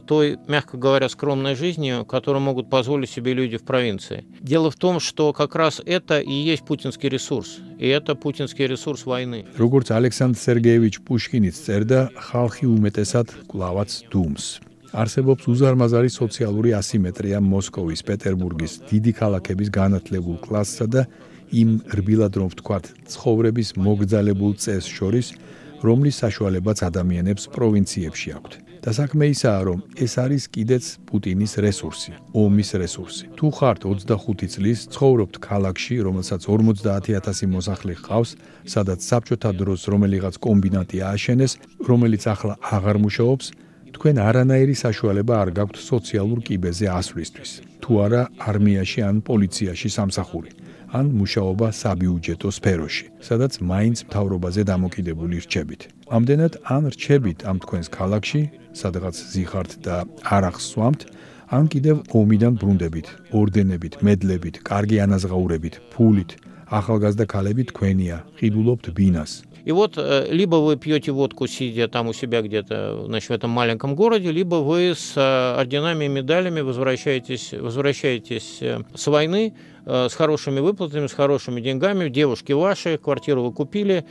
той, мягко говоря, скромной жизнью, которую могут позволить себе люди в провинции. Дело в том, что как раз это и есть путинский ресурс. И это путинский ресурс войны. Როგორც ალექსანდრ სერგეევიჩ პუშკინიც წერდა, ხალხი უმეტესად კვლავაც დუმს. არსებობს უზარმაზარი სოციალური ასიმეტრია მოსკოვის, პეტერბურგის, დიდი ქალაქების განათლებულ კლასსა და იმ რბილად რომ ვთქვათ, ცხოვრების მოგრძალებულ წესს შორის, რომლის საშუალებაც ადამიანებს პროვინციებში აქვთ. და საქმე ისაა, რომ ეს არის კიდეც პუტინის რესურსი, ომის რესურსი. თუ ხართ 25 წლის, ცხოვრობთ ქალაქში, რომელსაც 50,000 მოსახლე ჰყავს, სადაც საბჭოთა დროს რომელიღაც კომბინატი ააშენეს, რომელიც ახლა აღარ მუშაობს, თქვენ არანაირი საშუალება არ გაქვთ სოციალურ კიბეზე ასვლისთვის. თუ არა არმიაში ან პოლიციაში სამსახური, ან მუშაობა საბიუჯეტო სფეროში, სადაც მაინც მთავრობაზე დამოკიდებული რჩებით. ამდენად ან რჩებით ამ თქვენს ქალაქში, სადღაც ზიხართ და არ ახსვამთ, ან კიდევ ომიდან ბრუნდებით, ორდენებით, медლებით, კარგი ანაზღაურებით, ფულით, ახალგაზრდა ქალები თქვენია, ყიდულობთ бинას. И вот либо вы пьете водку, сидя там у себя где-то, значит, в этом маленьком городе, либо вы с орденами и медалями возвращаетесь с войны, с хорошими выплатами, с хорошими деньгами, девушки ваши, квартиру вы купили.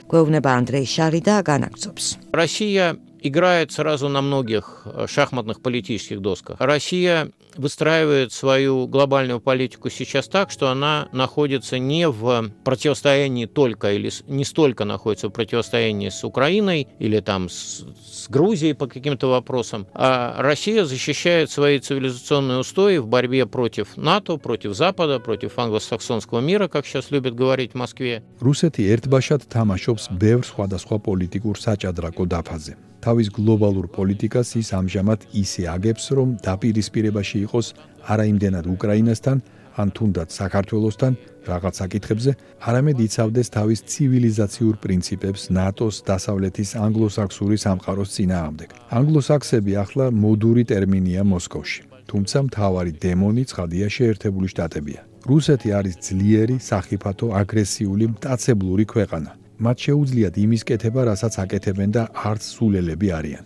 Россия играет сразу на многих шахматных политических досках. Россия выстраивает свою глобальную политику сейчас так, что она находится не в противостоянии только или не столько находится в противостоянии с Украиной или там с Грузией по каким-то вопросам, а Россия защищает свои цивилизационные устои в борьбе против НАТО, против Запада, против англосаксонского мира, как сейчас любят говорить в Москве. რუსეთი ერთბაშად თამაშობს ბევრ სხვადასხვა პოლიტიკურ საჭადრაკო დაფაზე. თავის გლობალურ პოლიტიკას ის ამჟამად ისე აგებს, რომ დაპირისპირებაში იყოს არა იმდენად უკრაინასთან, ან თუნდაც საქართველოსთან რაღაც საკითხებზე, არამედ იცავდეს თავის ცივილიზაციურ პრინციპებს ნატოს დასავლეთის ანგლოსაქსური სამყაროს წინააღმდეგ. ანგლოსაქსები ახლა მოდური ტერმინია მოსკოვში, თუმცა მთავარი დემონი ცხადია შეერთებული შტატებია. რუსეთი არის ძლიერი, სახიფათო, აგრესიული, მტაცებლური ქვეყანა. მათ შეუძლიათ იმის კეთება, რასაც აკეთებენ და არც სულელები არიან.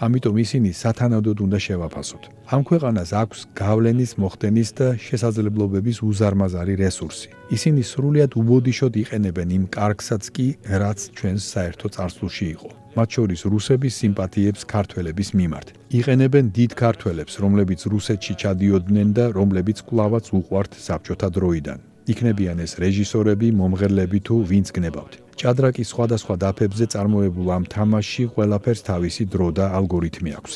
ამიტომ ისინი სათანადოდ უნდა შევაფასოთ. ამ ქვეყანას აქვს გავლენის, მოხდენის და შესაძლებლობების უზარმაზარი რესურსი. ისინი სრულიად უბოდიშოდ იყენებენ იმ კარგსაც კი, რაც ჩვენს საერთო წარსულში იყო. მათ შორის რუსების სიმპათიებს ქართველების მიმართ. იყენებენ დიდ ქართველებს, რომლებიც რუსეთში ჩადიოდნენ და რომლებიც კვლავაც უყვართ საბჭოთა დროიდან. იქნებიან ეს რეჟისორები, მომღერლები თუ ვინც გნებავთ. ჭადრაკის სხვადასხვა დაფებზე წარმოებულ ამ თამაშში ყველაფერს თავისი დრო და ალგორითმი აქვს.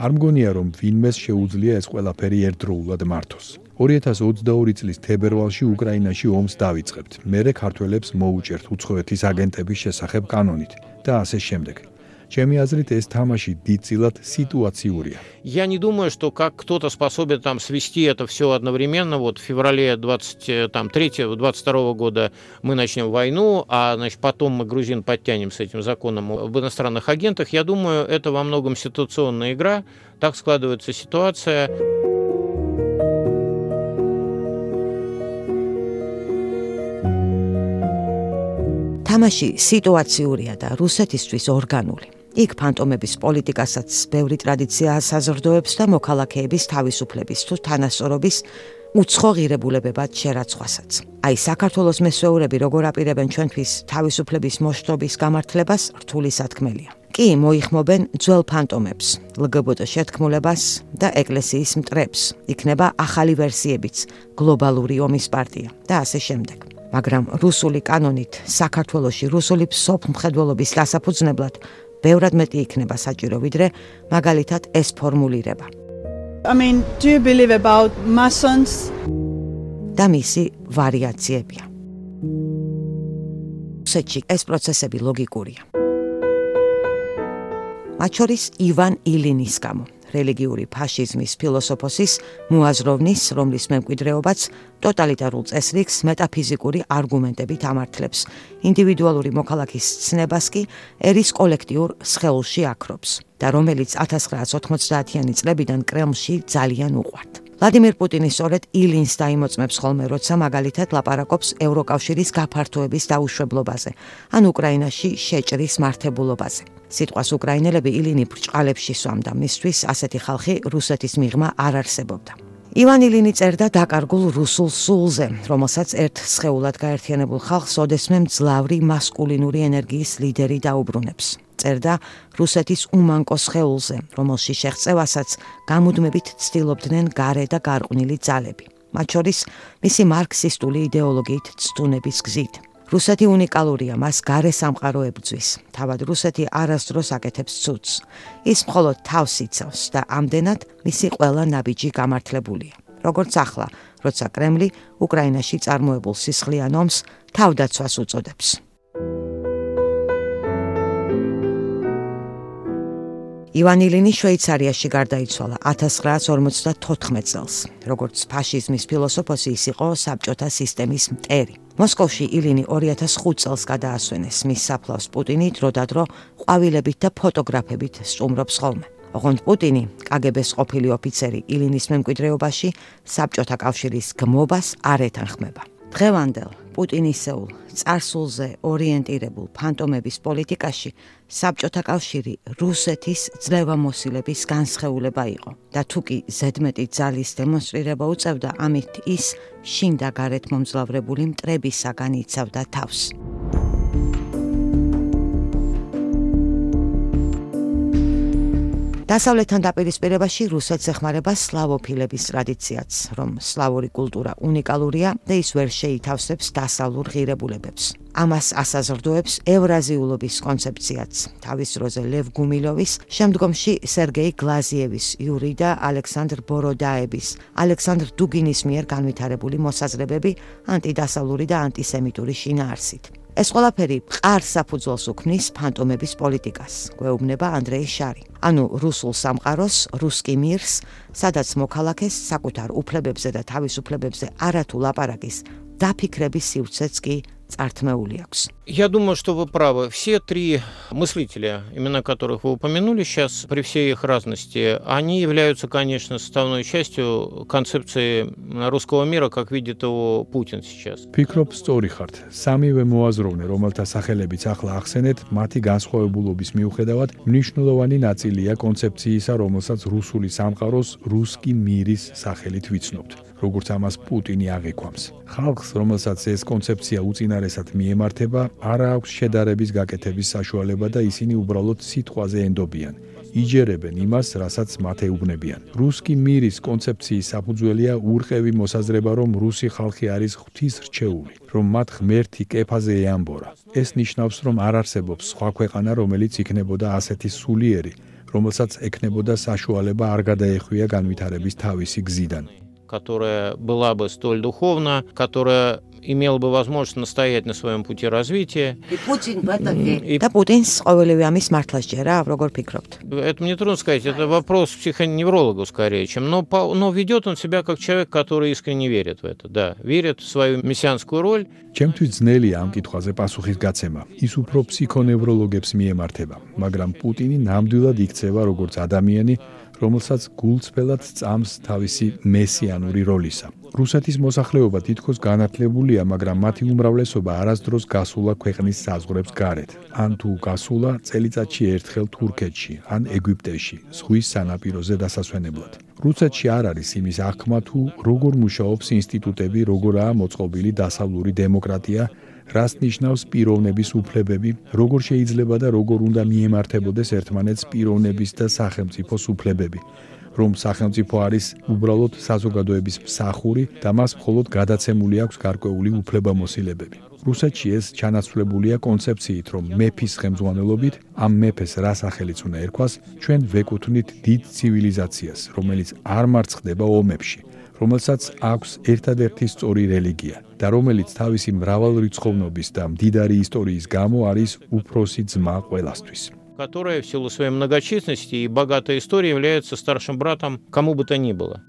არ მგონია, რომ ვინმეს შეუძლია ეს ყველაფერი ერთდროულად მართოს. 2022 წლის თებერვალში უკრაინაში ომს დავიწყებთ. მერე ქართველებს მოუჭერთ უცხოეთის აგენტების შესახებ კანონით და ასე შემდეგ. Ჩემი აზრით ეს თამაში დიდწილად ситуациურია. Я не думаю, что как кто-то способен там свести это все одновременно. Вот в феврале 23-22 года мы начнем войну, а значит, потом мы грузин подтянем с этим законом об иностранных агентах. Я думаю, это во многом ситуационная игра. Так складывается ситуация. თამაში სიტუაციურია და რუსეთისთვის ორგანული. იქ ფანტომების პოლიტიკასაც ბევრი ტრადიცია საზრდოებს და მოქალაქეების თავისუფლების თუ თანასწორობის უცხო ღირებულებებად შერაცხვასაც. აი საქართველოს მესვეურები როგორ აპირებენ ჩვენთვის თავისუფლების მოშთობის გამართლებას რთული სათქმელია. კი მოიხმობენ ძველ ფანტომებს, LGBT შეთქმულებას და ეკლესიის მტრებს. იქნება ახალი ვერსიებიც, გლობალური ომის პარტია და ასე შემდეგ. მაგრამ რუსული კანონით საქართველოში რუსული სოფლმხედველობის გასაფუძნებლად ბევრად მეტი იქნება საჭირო ვიდრე მაგალითად ეს ფორმულირება. I mean, do you believe about Masons? და მისი ვარიაციებია. რუსეთში ეს პროცესები ლოგიკურია. მათ შორის ივან ილინის გამო. რელიგიური ფაშიზმის ფილოსოფოსის მოაზროვნის, რომლის მემკვიდრეობაც ტოტალიტარულ წესრიგს მეტაფიზიკური არგუმენტებით ამართლებს. ინდივიდუალური მოქალაქის ცნებას კი ერის კოლექტიურ სხეულში აქრობს და რომელიც 1990-იანი წლებიდან კრემლში ძალიან უყვართ. ვლადიმერ პუტინი სწორედ ილინს დაიმოწმებს ხოლმე, როცა მაგალითად ლაპარაკობს ევროკავშირის გაფართოების დაუშვებლობაზე, ან უკრაინაში შეჭრის მართებულობაზე. სიტყვას უკრაინელები ილინი ბრჭყალებში სვამდა, მისთვის ასეთი ხალხი რუსეთის მიღმა არ არსებობდა. ივან ილინი წერდა დაკარგულ რუსულ სულზე, რომელსაც ერთ სხეულად გაერთიანებულ ხალხს ოდესმე მძლავრი მასკულინური ენერგიის ლიდერი დაუბრუნებს. წერდა რუსეთის უმანკო სხეულზე, რომელში შეღწევასაც გამუდმებით ცდილობდნენ გარე და გარყვნილი ძალები, მათ შორის მისი მარქსისტული იდეოლოგიით ცდუნების გზით. რუსეთი უნიკალურია, მას გარე სამყარო ებრძვის. თავად რუსეთი არასდროს აკეთებს ცუდს. ის მხოლოდ თავს იცავს და ამდენად მისი ყველა ნაბიჯი გამართლებულია. როგორც ახლა, როცა კრემლი უკრაინაში წარმოებულ სისხლიან ომს თავდაცვას უწოდებს. ივან ილინი შვეიცარიაში გარდაიცვალა 1954 წელს. როგორც ფაშიზმის ფილოსოფოსი, ის იყო საბჭოთა სისტემის მტერი. მოსკოვში ილინი 2005 წელს გადაასვენეს. მის საფლავს პუტინი დროდადრო ყვავილებით და ფოტოგრაფებით სტუმრობს ხოლმე. ოღონდ პუტინი, კგბ-ს ყოფილი ოფიცერი ილინის მემკვიდრეობაში საბჭოთა კავშირის გმობას არ ეთანხმება. დღევანდელ პუტინისეულ წარსულზე ორიენტირებულ ფანტომების პოლიტიკაში საბჭოთა კავშირი რუსეთის ძლევამოსილების განსხეულება იყო და თუკი ზედმეტი ძალის დემონსტრირება უწევდა, ამით ის შინ და გარეთ მომძლავრებული მტრებისაგან იცავდა თავს. დასავლეთთან დაპირისპირებაში რუსეთს ეხმარება სლავოფილების ტრადიციაც, რომ სლავური კულტურა უნიკალურია და ის ვერ შეითავსებს დასავლურ ღირებულებებს. ამას ასაზრდოებს ევრაზიულობის კონცეფციაც, თავის დროზე ლევ გუმილოვის, შემდგომში სერგეი გლაზიევის, იური და ალექსანდრ ბოროდაების, ალექსანდრ დუგინის მიერ განვითარებული მოსაზრებები ანტიდასავლური და ანტისემიტური შინაარსით. ეს ყველაფერი მყარ საფუძველს უქმნის ფანტომების პოლიტიკას, გვეუბნება ანდრეი შარი. ანუ რუსულ სამყაროს, რუსკი მირს, სადაც მოქალაქეს საკუთარ უფლებებზე და თავისუფლებებზე არათუ ლაპარაკის დაფიქრების სივრცეც კი წართმეული აქვს. Я думаю, что вы правы. Все три мыслителя, имена которых вы упомянули сейчас, при всей их разности, они являются, конечно, составной частью концепции русского мира, как видит его Путин сейчас. Ფიქრობ, სწორი ხართ. სამივე მოაზროვნე, რომელთა სახელებიც ახლა ახსენეთ, მათი განსხვავებულობის მიუხედავად, მნიშვნელოვანი ნაწილია კონცეფციისა, რომელსაც რუსული სამყაროს რუსკი მირის სახელით ვიცნობთ. როგორც ამას პუტინი აღიქვამს. ხალხს, რომელსაც ეს კონცეფცია უწინარესად მიემართება, არ აქვს შედარების გაკეთების საშუალება და ისინი უბრალოდ სიტყვაზე ენდობიან. იჯერებენ იმას, რასაც მათ ეუბნებიან. რუსკი მირის კონცეფციის საფუძველია ურყევი მოსაზრება, რომ რუსი ხალხი არის ღვთისრჩეული, რომ მათ ღმერთი კეფაზე ეამბორა. ეს ნიშნავს, რომ არ არსებობს სხვა ქვეყანა, რომელიც იქნებოდა ასეთი სულიერი, რომელსაც ექნებოდა საშუალება არ გადაეხვია განვითარების თავისი გზიდან. Которая была бы столь духовна, которая имела бы возможность настоять на своем пути развития. И Путин в это верит. Да Путин ყოველივე ამის მართლას ჯერა, როგორ ფიქრობთ? Это мне трудно сказать, это вопрос психоневрологу скорее, чем, но ведет он себя как человек, который искренне верит в это, да, верит в свою мессианскую роль. ჩემთვის ძნელია ამ კითხვაზე პასუხის გაცემა. ის უფრო ფსიქონევროლოგებს მიემართება, მაგრამ პუტინი ნამდვილად იქცევა როგორც ადამიანი, რომელსაც გულწრფელად წამს თავისი მესიანური როლისა. რუსეთის მოსახლეობა თითქოს განათლებულია, მაგრამ მათი უმრავლესობა არასდროს გასულა ქვეყნის საზღვრებს გარეთ. ან თუ გასულა წელიწადში ერთხელ თურქეთში, ან ეგვიპტეში, ზღვის სანაპიროზე დასასვენებლად. რუსეთში არ არის იმის აღქმა თუ როგორ მუშაობს ინსტიტუტები, როგორაა მოწყობილი დასავლური დემოკრატია, რას ნიშნავს პიროვნების უფლებები, როგორ შეიძლება და როგორ უნდა მიემართებოდეს ერთმანეთს პიროვნების და სახელმწიფოს უფლებები, რომ სახელმწიფო არის უბრალოდ საზოგადოების მსახური და მას მხოლოდ გადაცემული აქვს გარკვეული უფლებამოსილებები. რუსეთში ეს ჩანაცვლებულია კონცეფციით, რომ მეფის ხელმძღვანელობით ამ მეფეს რა სახელიც უნდა ერქვას, ჩვენ ვეკუთვნით დიდ ცივილიზაციას, რომელიც არ მარცხდება ომებში, რომელსაც აქვს ერთადერთი სწორი რელიგია და რომელიც თავისი მრავალრიცხოვნობის და მდიდარი ისტორიის გამო არის უფროსი ძმა ყველასთვის. Которая в силу своей многочисленности и богатой истории является старшим братом кому бы то ни было.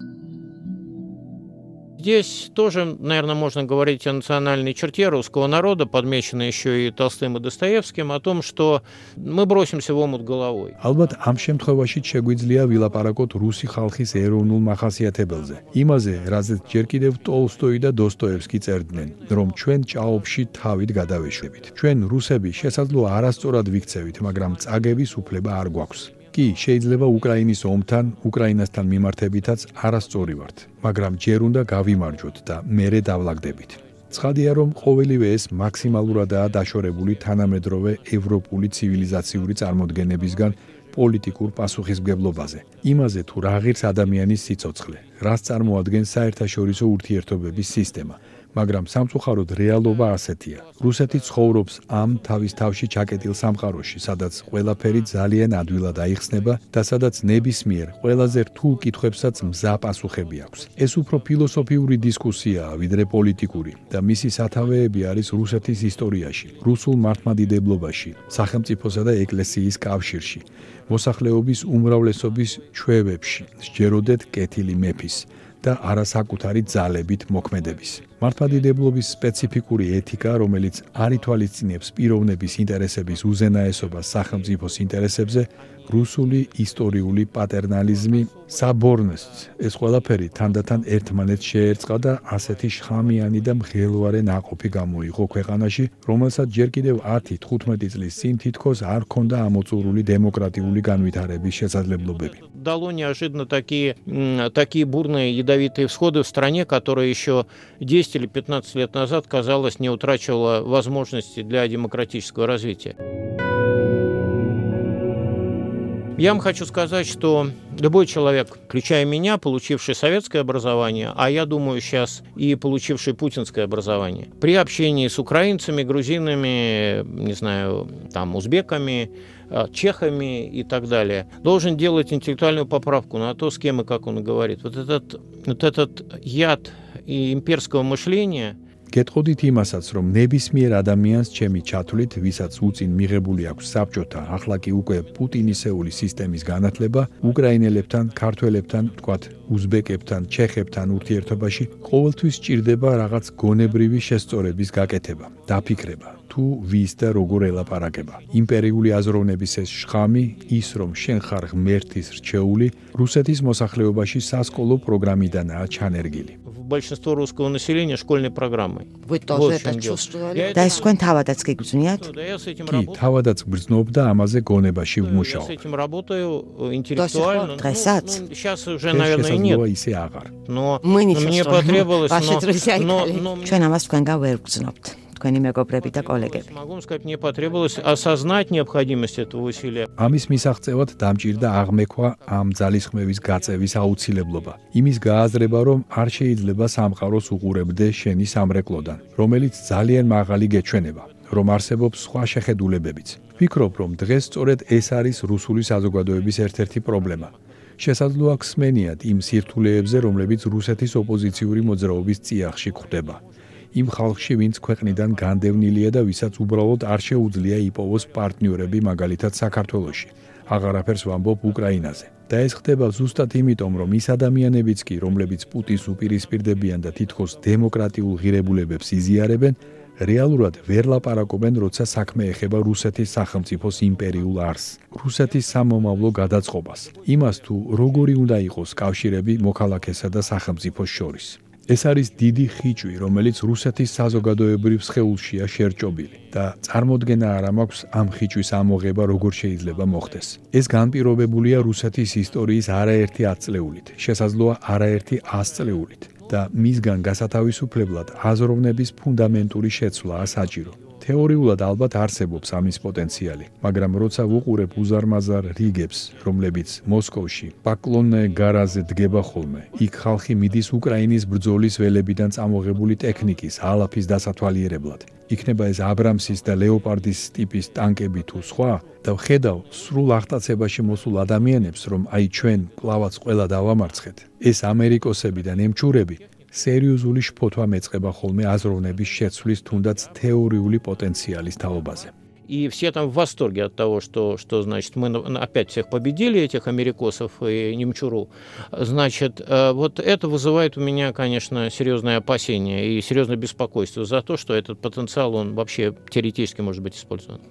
Здесь тоже, наверное, можно говорить о национальной черте русского народа, подмеченной еще и Толстым и Достоевским, о том, что мы бросимся в омут головой. Ალბათ ამ შემთხვევაში შეგვიძლია ვილაპარაკოთ რუსი ხალხის ეროვნულ მახასიათებელზე. იმაზე, რაზეც ჯერ კიდევ ტოლსტოი და დოსტოევსკი წერდნენ, რომ ჩვენ ჭაობში თავით გადავეშვებით. ჩვენ რუსები შესაძლოა არასწორად ვიქცევით, მაგრამ წაგების უფლება არ გვაქვს. კი, შეიძლება უკრაინის ომთან, უკრაინასთან მიმართებითაც არასწორი ვართ, მაგრამ ჯერ უნდა გავიმარჯვოთ და მერე დავლაგდებით. ცხადია, რომ ყოველივე ეს მაქსიმალურადაა დაშორებული თანამედროვე ევროპული ცივილიზაციური წარმოდგენებისგან პოლიტიკურ პასუხისმგებლობაზე. იმაზე თუ რა ღირს ადამიანის სიცოცხლე, რას წარმოადგენს საერთაშორისო ურთიერთობების სისტემა. მაგრამ სამწუხაროდ რეალობა ასეთია. რუსეთი ცხოვრობს ამ თავის თავში ჩაკეტილ სამყაროში, სადაც ყველაფერი ძალიან ადვილად აიხსნება და სადაც ნებისმიერ ყველაზე რთულ კითხვებსაც მზა პასუხები აქვს. ეს უფრო ფილოსოფიური დისკუსიაა, ვიდრე პოლიტიკური და მისი სათავეები არის რუსეთის ისტორიაში, რუსულ მართლმადიდებლობაში, სახელმწიფოსა და ეკლესიის კავშირში, მოსახლეობის უმრავლესობის ჩვევებში, სჯეროდეთ კეთილი მეფის და არასაკუთარი ძალებით მოქმედების. მართლმადიდებლობის სპეციფიკური ეთიკა, რომელიც არ ითვალისწინებს პიროვნების ინტერესების უზენაესობას სახელმწიფოს ინტერესებზე, რუსული ისტორიული პატერნალიზმი, საბორნეს, ეს ყველაფერი თანდათან ერთმანეთს შეერწყა და ასეთი შხამიანი და მღელვარე ნაყოფი გამოიღო ქვეყანაში, რომელსაც ჯერ კიდევ 10-15 წლის წინ თითქოს არ ჰქონდა ამოწურული დემოკრატიული განვითარების შესაძლებლობები. Дало неожиданно такие бурные ядовитые всходы в стране, которая еще 10 или 15 лет назад, казалось, не утрачивала возможности для демократического развития. Я вам хочу сказать, что любой человек, включая меня, получивший советское образование, а я думаю сейчас и получивший путинское образование, при общении с украинцами, грузинами, не знаю, там, узбеками, чехами и так далее, должен делать интеллектуальную поправку на то, с кем и как он говорит. Вот этот яд и имперского мышления. გეტყოდით იმასაც, რომ ნებისმიერ ადამიანს ჩემი ჩათვლით, ვისაც უწინ მიღებული აქვს საბჭოთა, ახლა კი უკვე პუტინისეული სისტემის განათლება, უკრაინელებთან, ქართველებთან, თქვათ, უზბეკებთან, ჩეხებთან ურთიერთობაში ყოველთვის სჭირდება რაღაც გონებრივი შესწორების გაკეთება, დაფიქრება, თუ ვის და როგორ ელაპარაკება. იმპერიული აზროვნების ეს შხამი, ის რომ შენ ხარ ღმერთის რჩეული, რუსეთის მოსახლეობაში სასკოლო პროგრამიდანაა ჩანერგილი. Большинство русского населения школьной программой. Вы тоже это чувствовали? Да, ეს თქვენ თავადაც გიგრძნიათ? კი, თავადაც გრძნობ და ამაზე გონებაში ვმუშაობ. Я с этим работаю интеллектуально. დღესაც? Сейчас уже, наверное, нет. ისე აღარ. Но мне потребовалось, ჩვენ ამას თქვენგან ვერ გრძნობთ. თქვენი მეგობრები და კოლეგები. Могу сказать, мне потребовалось осознать необходимость этого усилия. ამის მისაღწევად დამჭირდა აღმექვა ამ ძალისხმევის გაწევის აუცილებლობა. იმის გააზრება, რომ არ შეიძლება სამყაროს უყურებდე შენი სამრეკლოდან, რომელიც ძალიან მაღალი გეჩვენება, რომ არსებობს სხვა შეხედულებებიც. ვფიქრობ, რომ დღეს სწორედ ეს არის რუსული საზოგადოების ერთ-ერთი პრობლემა. შესაძლოა ხსმენიათ იმ სირთულეებზე, რომლებიც რუსეთის ოპოზიციური მოძრაობის წიაღში გვხვდება. იმ ხალხში, ვინც ქვეყნიდან განდევნილია და ვისაც უბრალოდ არ შეუძლია იპოვოს პარტნიორები, მაგალითად საქართველოში. აღარაფერს ვამბობ უკრაინაზე. და ეს ხდება ზუსტად იმიტომ, რომ ის ადამიანებიც კი, რომლებიც პუტინს უპირისპირდებიან და თითქოს დემოკრატიულ ღირებულებებს იზიარებენ, რეალურად ვერ ლაპარაკობენ, როცა საქმე ეხება რუსეთის სახელმწიფოს იმპერიულ არსს, რუსეთის სამომავლო გადაწყობას, იმას თუ როგორი უნდა იყოს კავშირები მოქალაქესა და სახელმწიფოს შორის. ეს არის დიდი ხიჭვი, რომელიც რუსეთის საზოგადოებრივ სხეულშია შერჭობილი და წარმოდგენა არ მაქვს ამ ხიჭვის ამოღება როგორ შეიძლება მოხდეს. ეს განპირობებულია რუსეთის ისტორიის არაერთი 10 წლეულით, შესაძლოა არაერთი 100 წლეულით და მისგან გასათავისუფლებლად აზროვნების ფუნდამენტური შეცვლაა საჭირო. თეორიულად ალბათ არსებობს ამის პოტენციალი, მაგრამ როცა ვუყურებ უზარმაზარ რიგებს, რომლებიც მოსკოვში, პაკლონე გარაზე დგება ხოლმე, იქ ხალხი მიდის უკრაინის ბრძოლის ველებიდან წამოღებული ტექნიკის, ალაფის დასათვალიერებლად. იქნება ეს აბრამსის და ლეოპარდის ტიპის ტანკები თუ სხვა და ვხედავ სრულ აღტაცებაში მოსულ ადამიანებს, რომ აი ჩვენ კლავაც ყველა დავამარცხეთ. ეს ამერიკოსები და ნემჭურები სერიოზული შფოთვა მეწყება ხოლმე აზროვნების შეცვლის თუნდაც თეორიული პოტენციალის თაობაზე. И все там в восторге от того, что значит, мы опять всех победили, этих америкосов и немчуру. Значит, вот это вызывает у меня, конечно, серьезное опасение и серьезное беспокойство за то, что этот потенциал, он вообще теоретически может быть использован.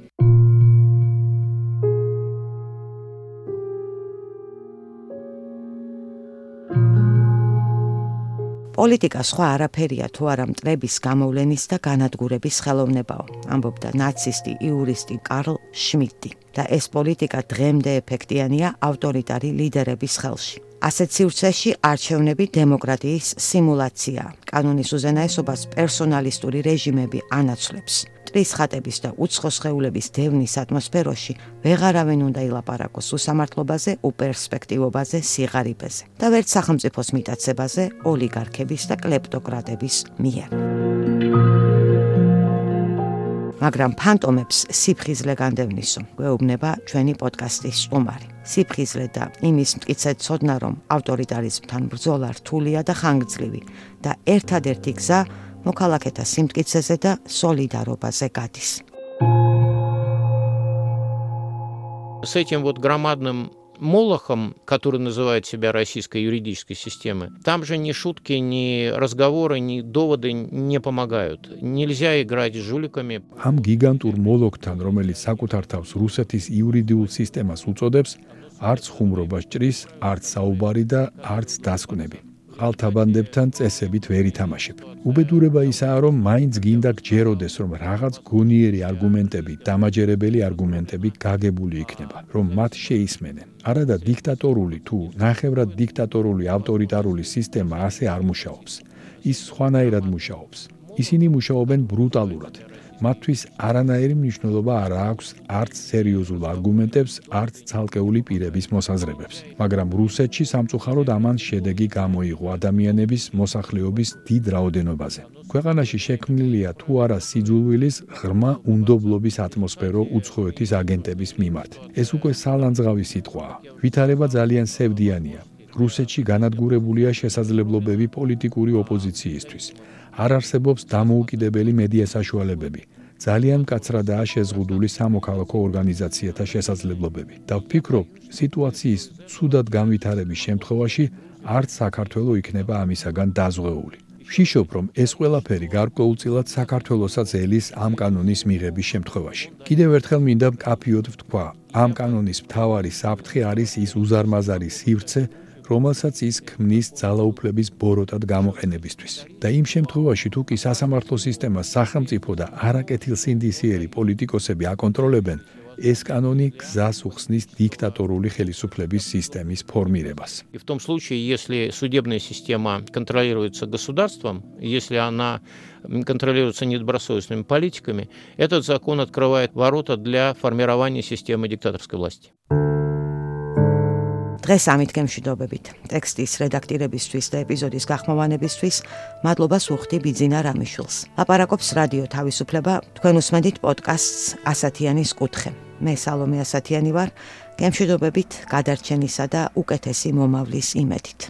პოლიტიკა სხვა არაფერია თუ არა მტრების გამოვლენის და განადგურების ხელოვნებაო, ამბობდა ნაცისტი იურისტი კარლ შმიდტი. და ეს პოლიტიკა დღემდე ეფექტიანია ავტორიტარი ლიდერების ხელში. ასეთ სივრცეში არჩევნები დემოკრატიის სიმულაციაა. კანონის უზენაესობას პერსონალისტური რეჟიმები ანაცვლებს. მტრის ხატების და უცხო სხეულების დევნის ატმოსფეროში ვეღარავინ უნდა ილაპარაკოს უსამართლობაზე, უპერსპექტივობაზე, სიღარიბეზე და ვერც სახელმწიფოს მიტაცებაზე ოლიგარქების და კლეპტოკრატების მიერ. მაგრამ ფანტომებს სიფხიზლე განდევნისო, გვეუბნება ჩვენი პოდკასტის სტუმარი. სიფხიზლე და იმის მტკიცე ცოდნა, რომ ავტორიტარიზმთან ბრძოლა რთულია და ხანგრძლივი და ერთადერთი გზა მოქალაქეთა სიმტკიცეზე და სოლიდარობაზე გადის. С этим вот громадным молохом, который называет себя российской юридической системой, там же ни шутки, ни разговоры, ни доводы не помогают. Нельзя играть с жуликами. Am გიგანტურ მოლოქთან, რომელიც საკუთარ თავს რუსეთის იურიდიულ სისტემას უწოდებს, არც ხუმრობა ჭრის, არც საუბარი და არც დასკვნები. ყალთაბანდებთან წესებით ვერ ითამაშებ. უბედურება ისაა, რომ მაინც გინდა გჯეროდეს, რომ რაღაც გონიერი არგუმენტები, დამაჯერებელი არგუმენტები გაგებული იქნება, რომ მათ შეისმენენ. არადა დიქტატორული თუ ნახევრად დიქტატორული ავტორიტარული სისტემა ასე არ მუშაობს. ის სხვანაირად მუშაობს. ისინი მუშაობენ ბრუტალურად. მათთვის არანაირი მნიშვნელობა არ აქვს არც სერიოზულ არგუმენტებს, არც ცალკეული პირების მოსაზრებებს. მაგრამ რუსეთში სამწუხაროდ ამან შედეგი გამოიღო ადამიანების მოსახლეობის დიდ რაოდენობაზე. ქვეყანაში შექმნილია თუ არა სიძულვილის, ღრმა უნდობლობის ატმოსფერო უცხოეთის აგენტების მიმართ. ეს უკვე სალანძღავი სიტყვაა. ვითარება ძალიან სევდიანია. რუსეთში განადგურებულია შესაძლებლობები პოლიტიკური ოპოზიციისთვის. არ არსებობს დამოუკიდებელი მედია საშუალებები. ძალიან მკაცრადაა შეზღუდული სამოქალაქო ორგანიზაციათა შესაძლებლობები. და ვფიქრობ, სიტუაციის ცუდად განვითარების შემთხვევაში არც საქართველო იქნება ამისაგან დაზღვეული. ვშიშობ, რომ ეს ყველაფერი გარკვეულწილად საქართველოსაც ელის ამ კანონის მიღების შემთხვევაში. კიდევ ერთხელ მინდა მკაფიოდ ვთქვა, ამ კანონის მთავარი საფრთხე არის ის უზარმაზარი სივრცე, რომელსაც ის ქმნის ძალაუფლების ბოროტად გამოყენებისთვის. და იმ შემთხვევაში, თუ კი სასამართლო სისტემას სახელმწიფო და არაკეთილსინდისიერი პოლიტიკოსები აკონტროლებენ, ეს კანონი გზას უხსნის დიქტატორული ხელისუფლების სისტემის ფორმირებას. И в том случае, если судебная система контролируется государством, если она контролируется недобросовестными политиками, этот закон открывает ворота для формирования системы диктаторской власти. დღეს ამით გემშვიდობებით. ტექსტის რედაქტირებისთვის და ეპიზოდის გახმოვანებისთვის მადლობას ვუხდი ბიძინა რამიშვილს. ლაპარაკობს რადიო თავისუფლება, თქვენ უსმენთ პოდკასტს ასათიანის კუთხე. მე სალომე ასათიანი ვარ. გემშვიდობებით, გადარჩენისა და უკეთესი მომავლის იმედით.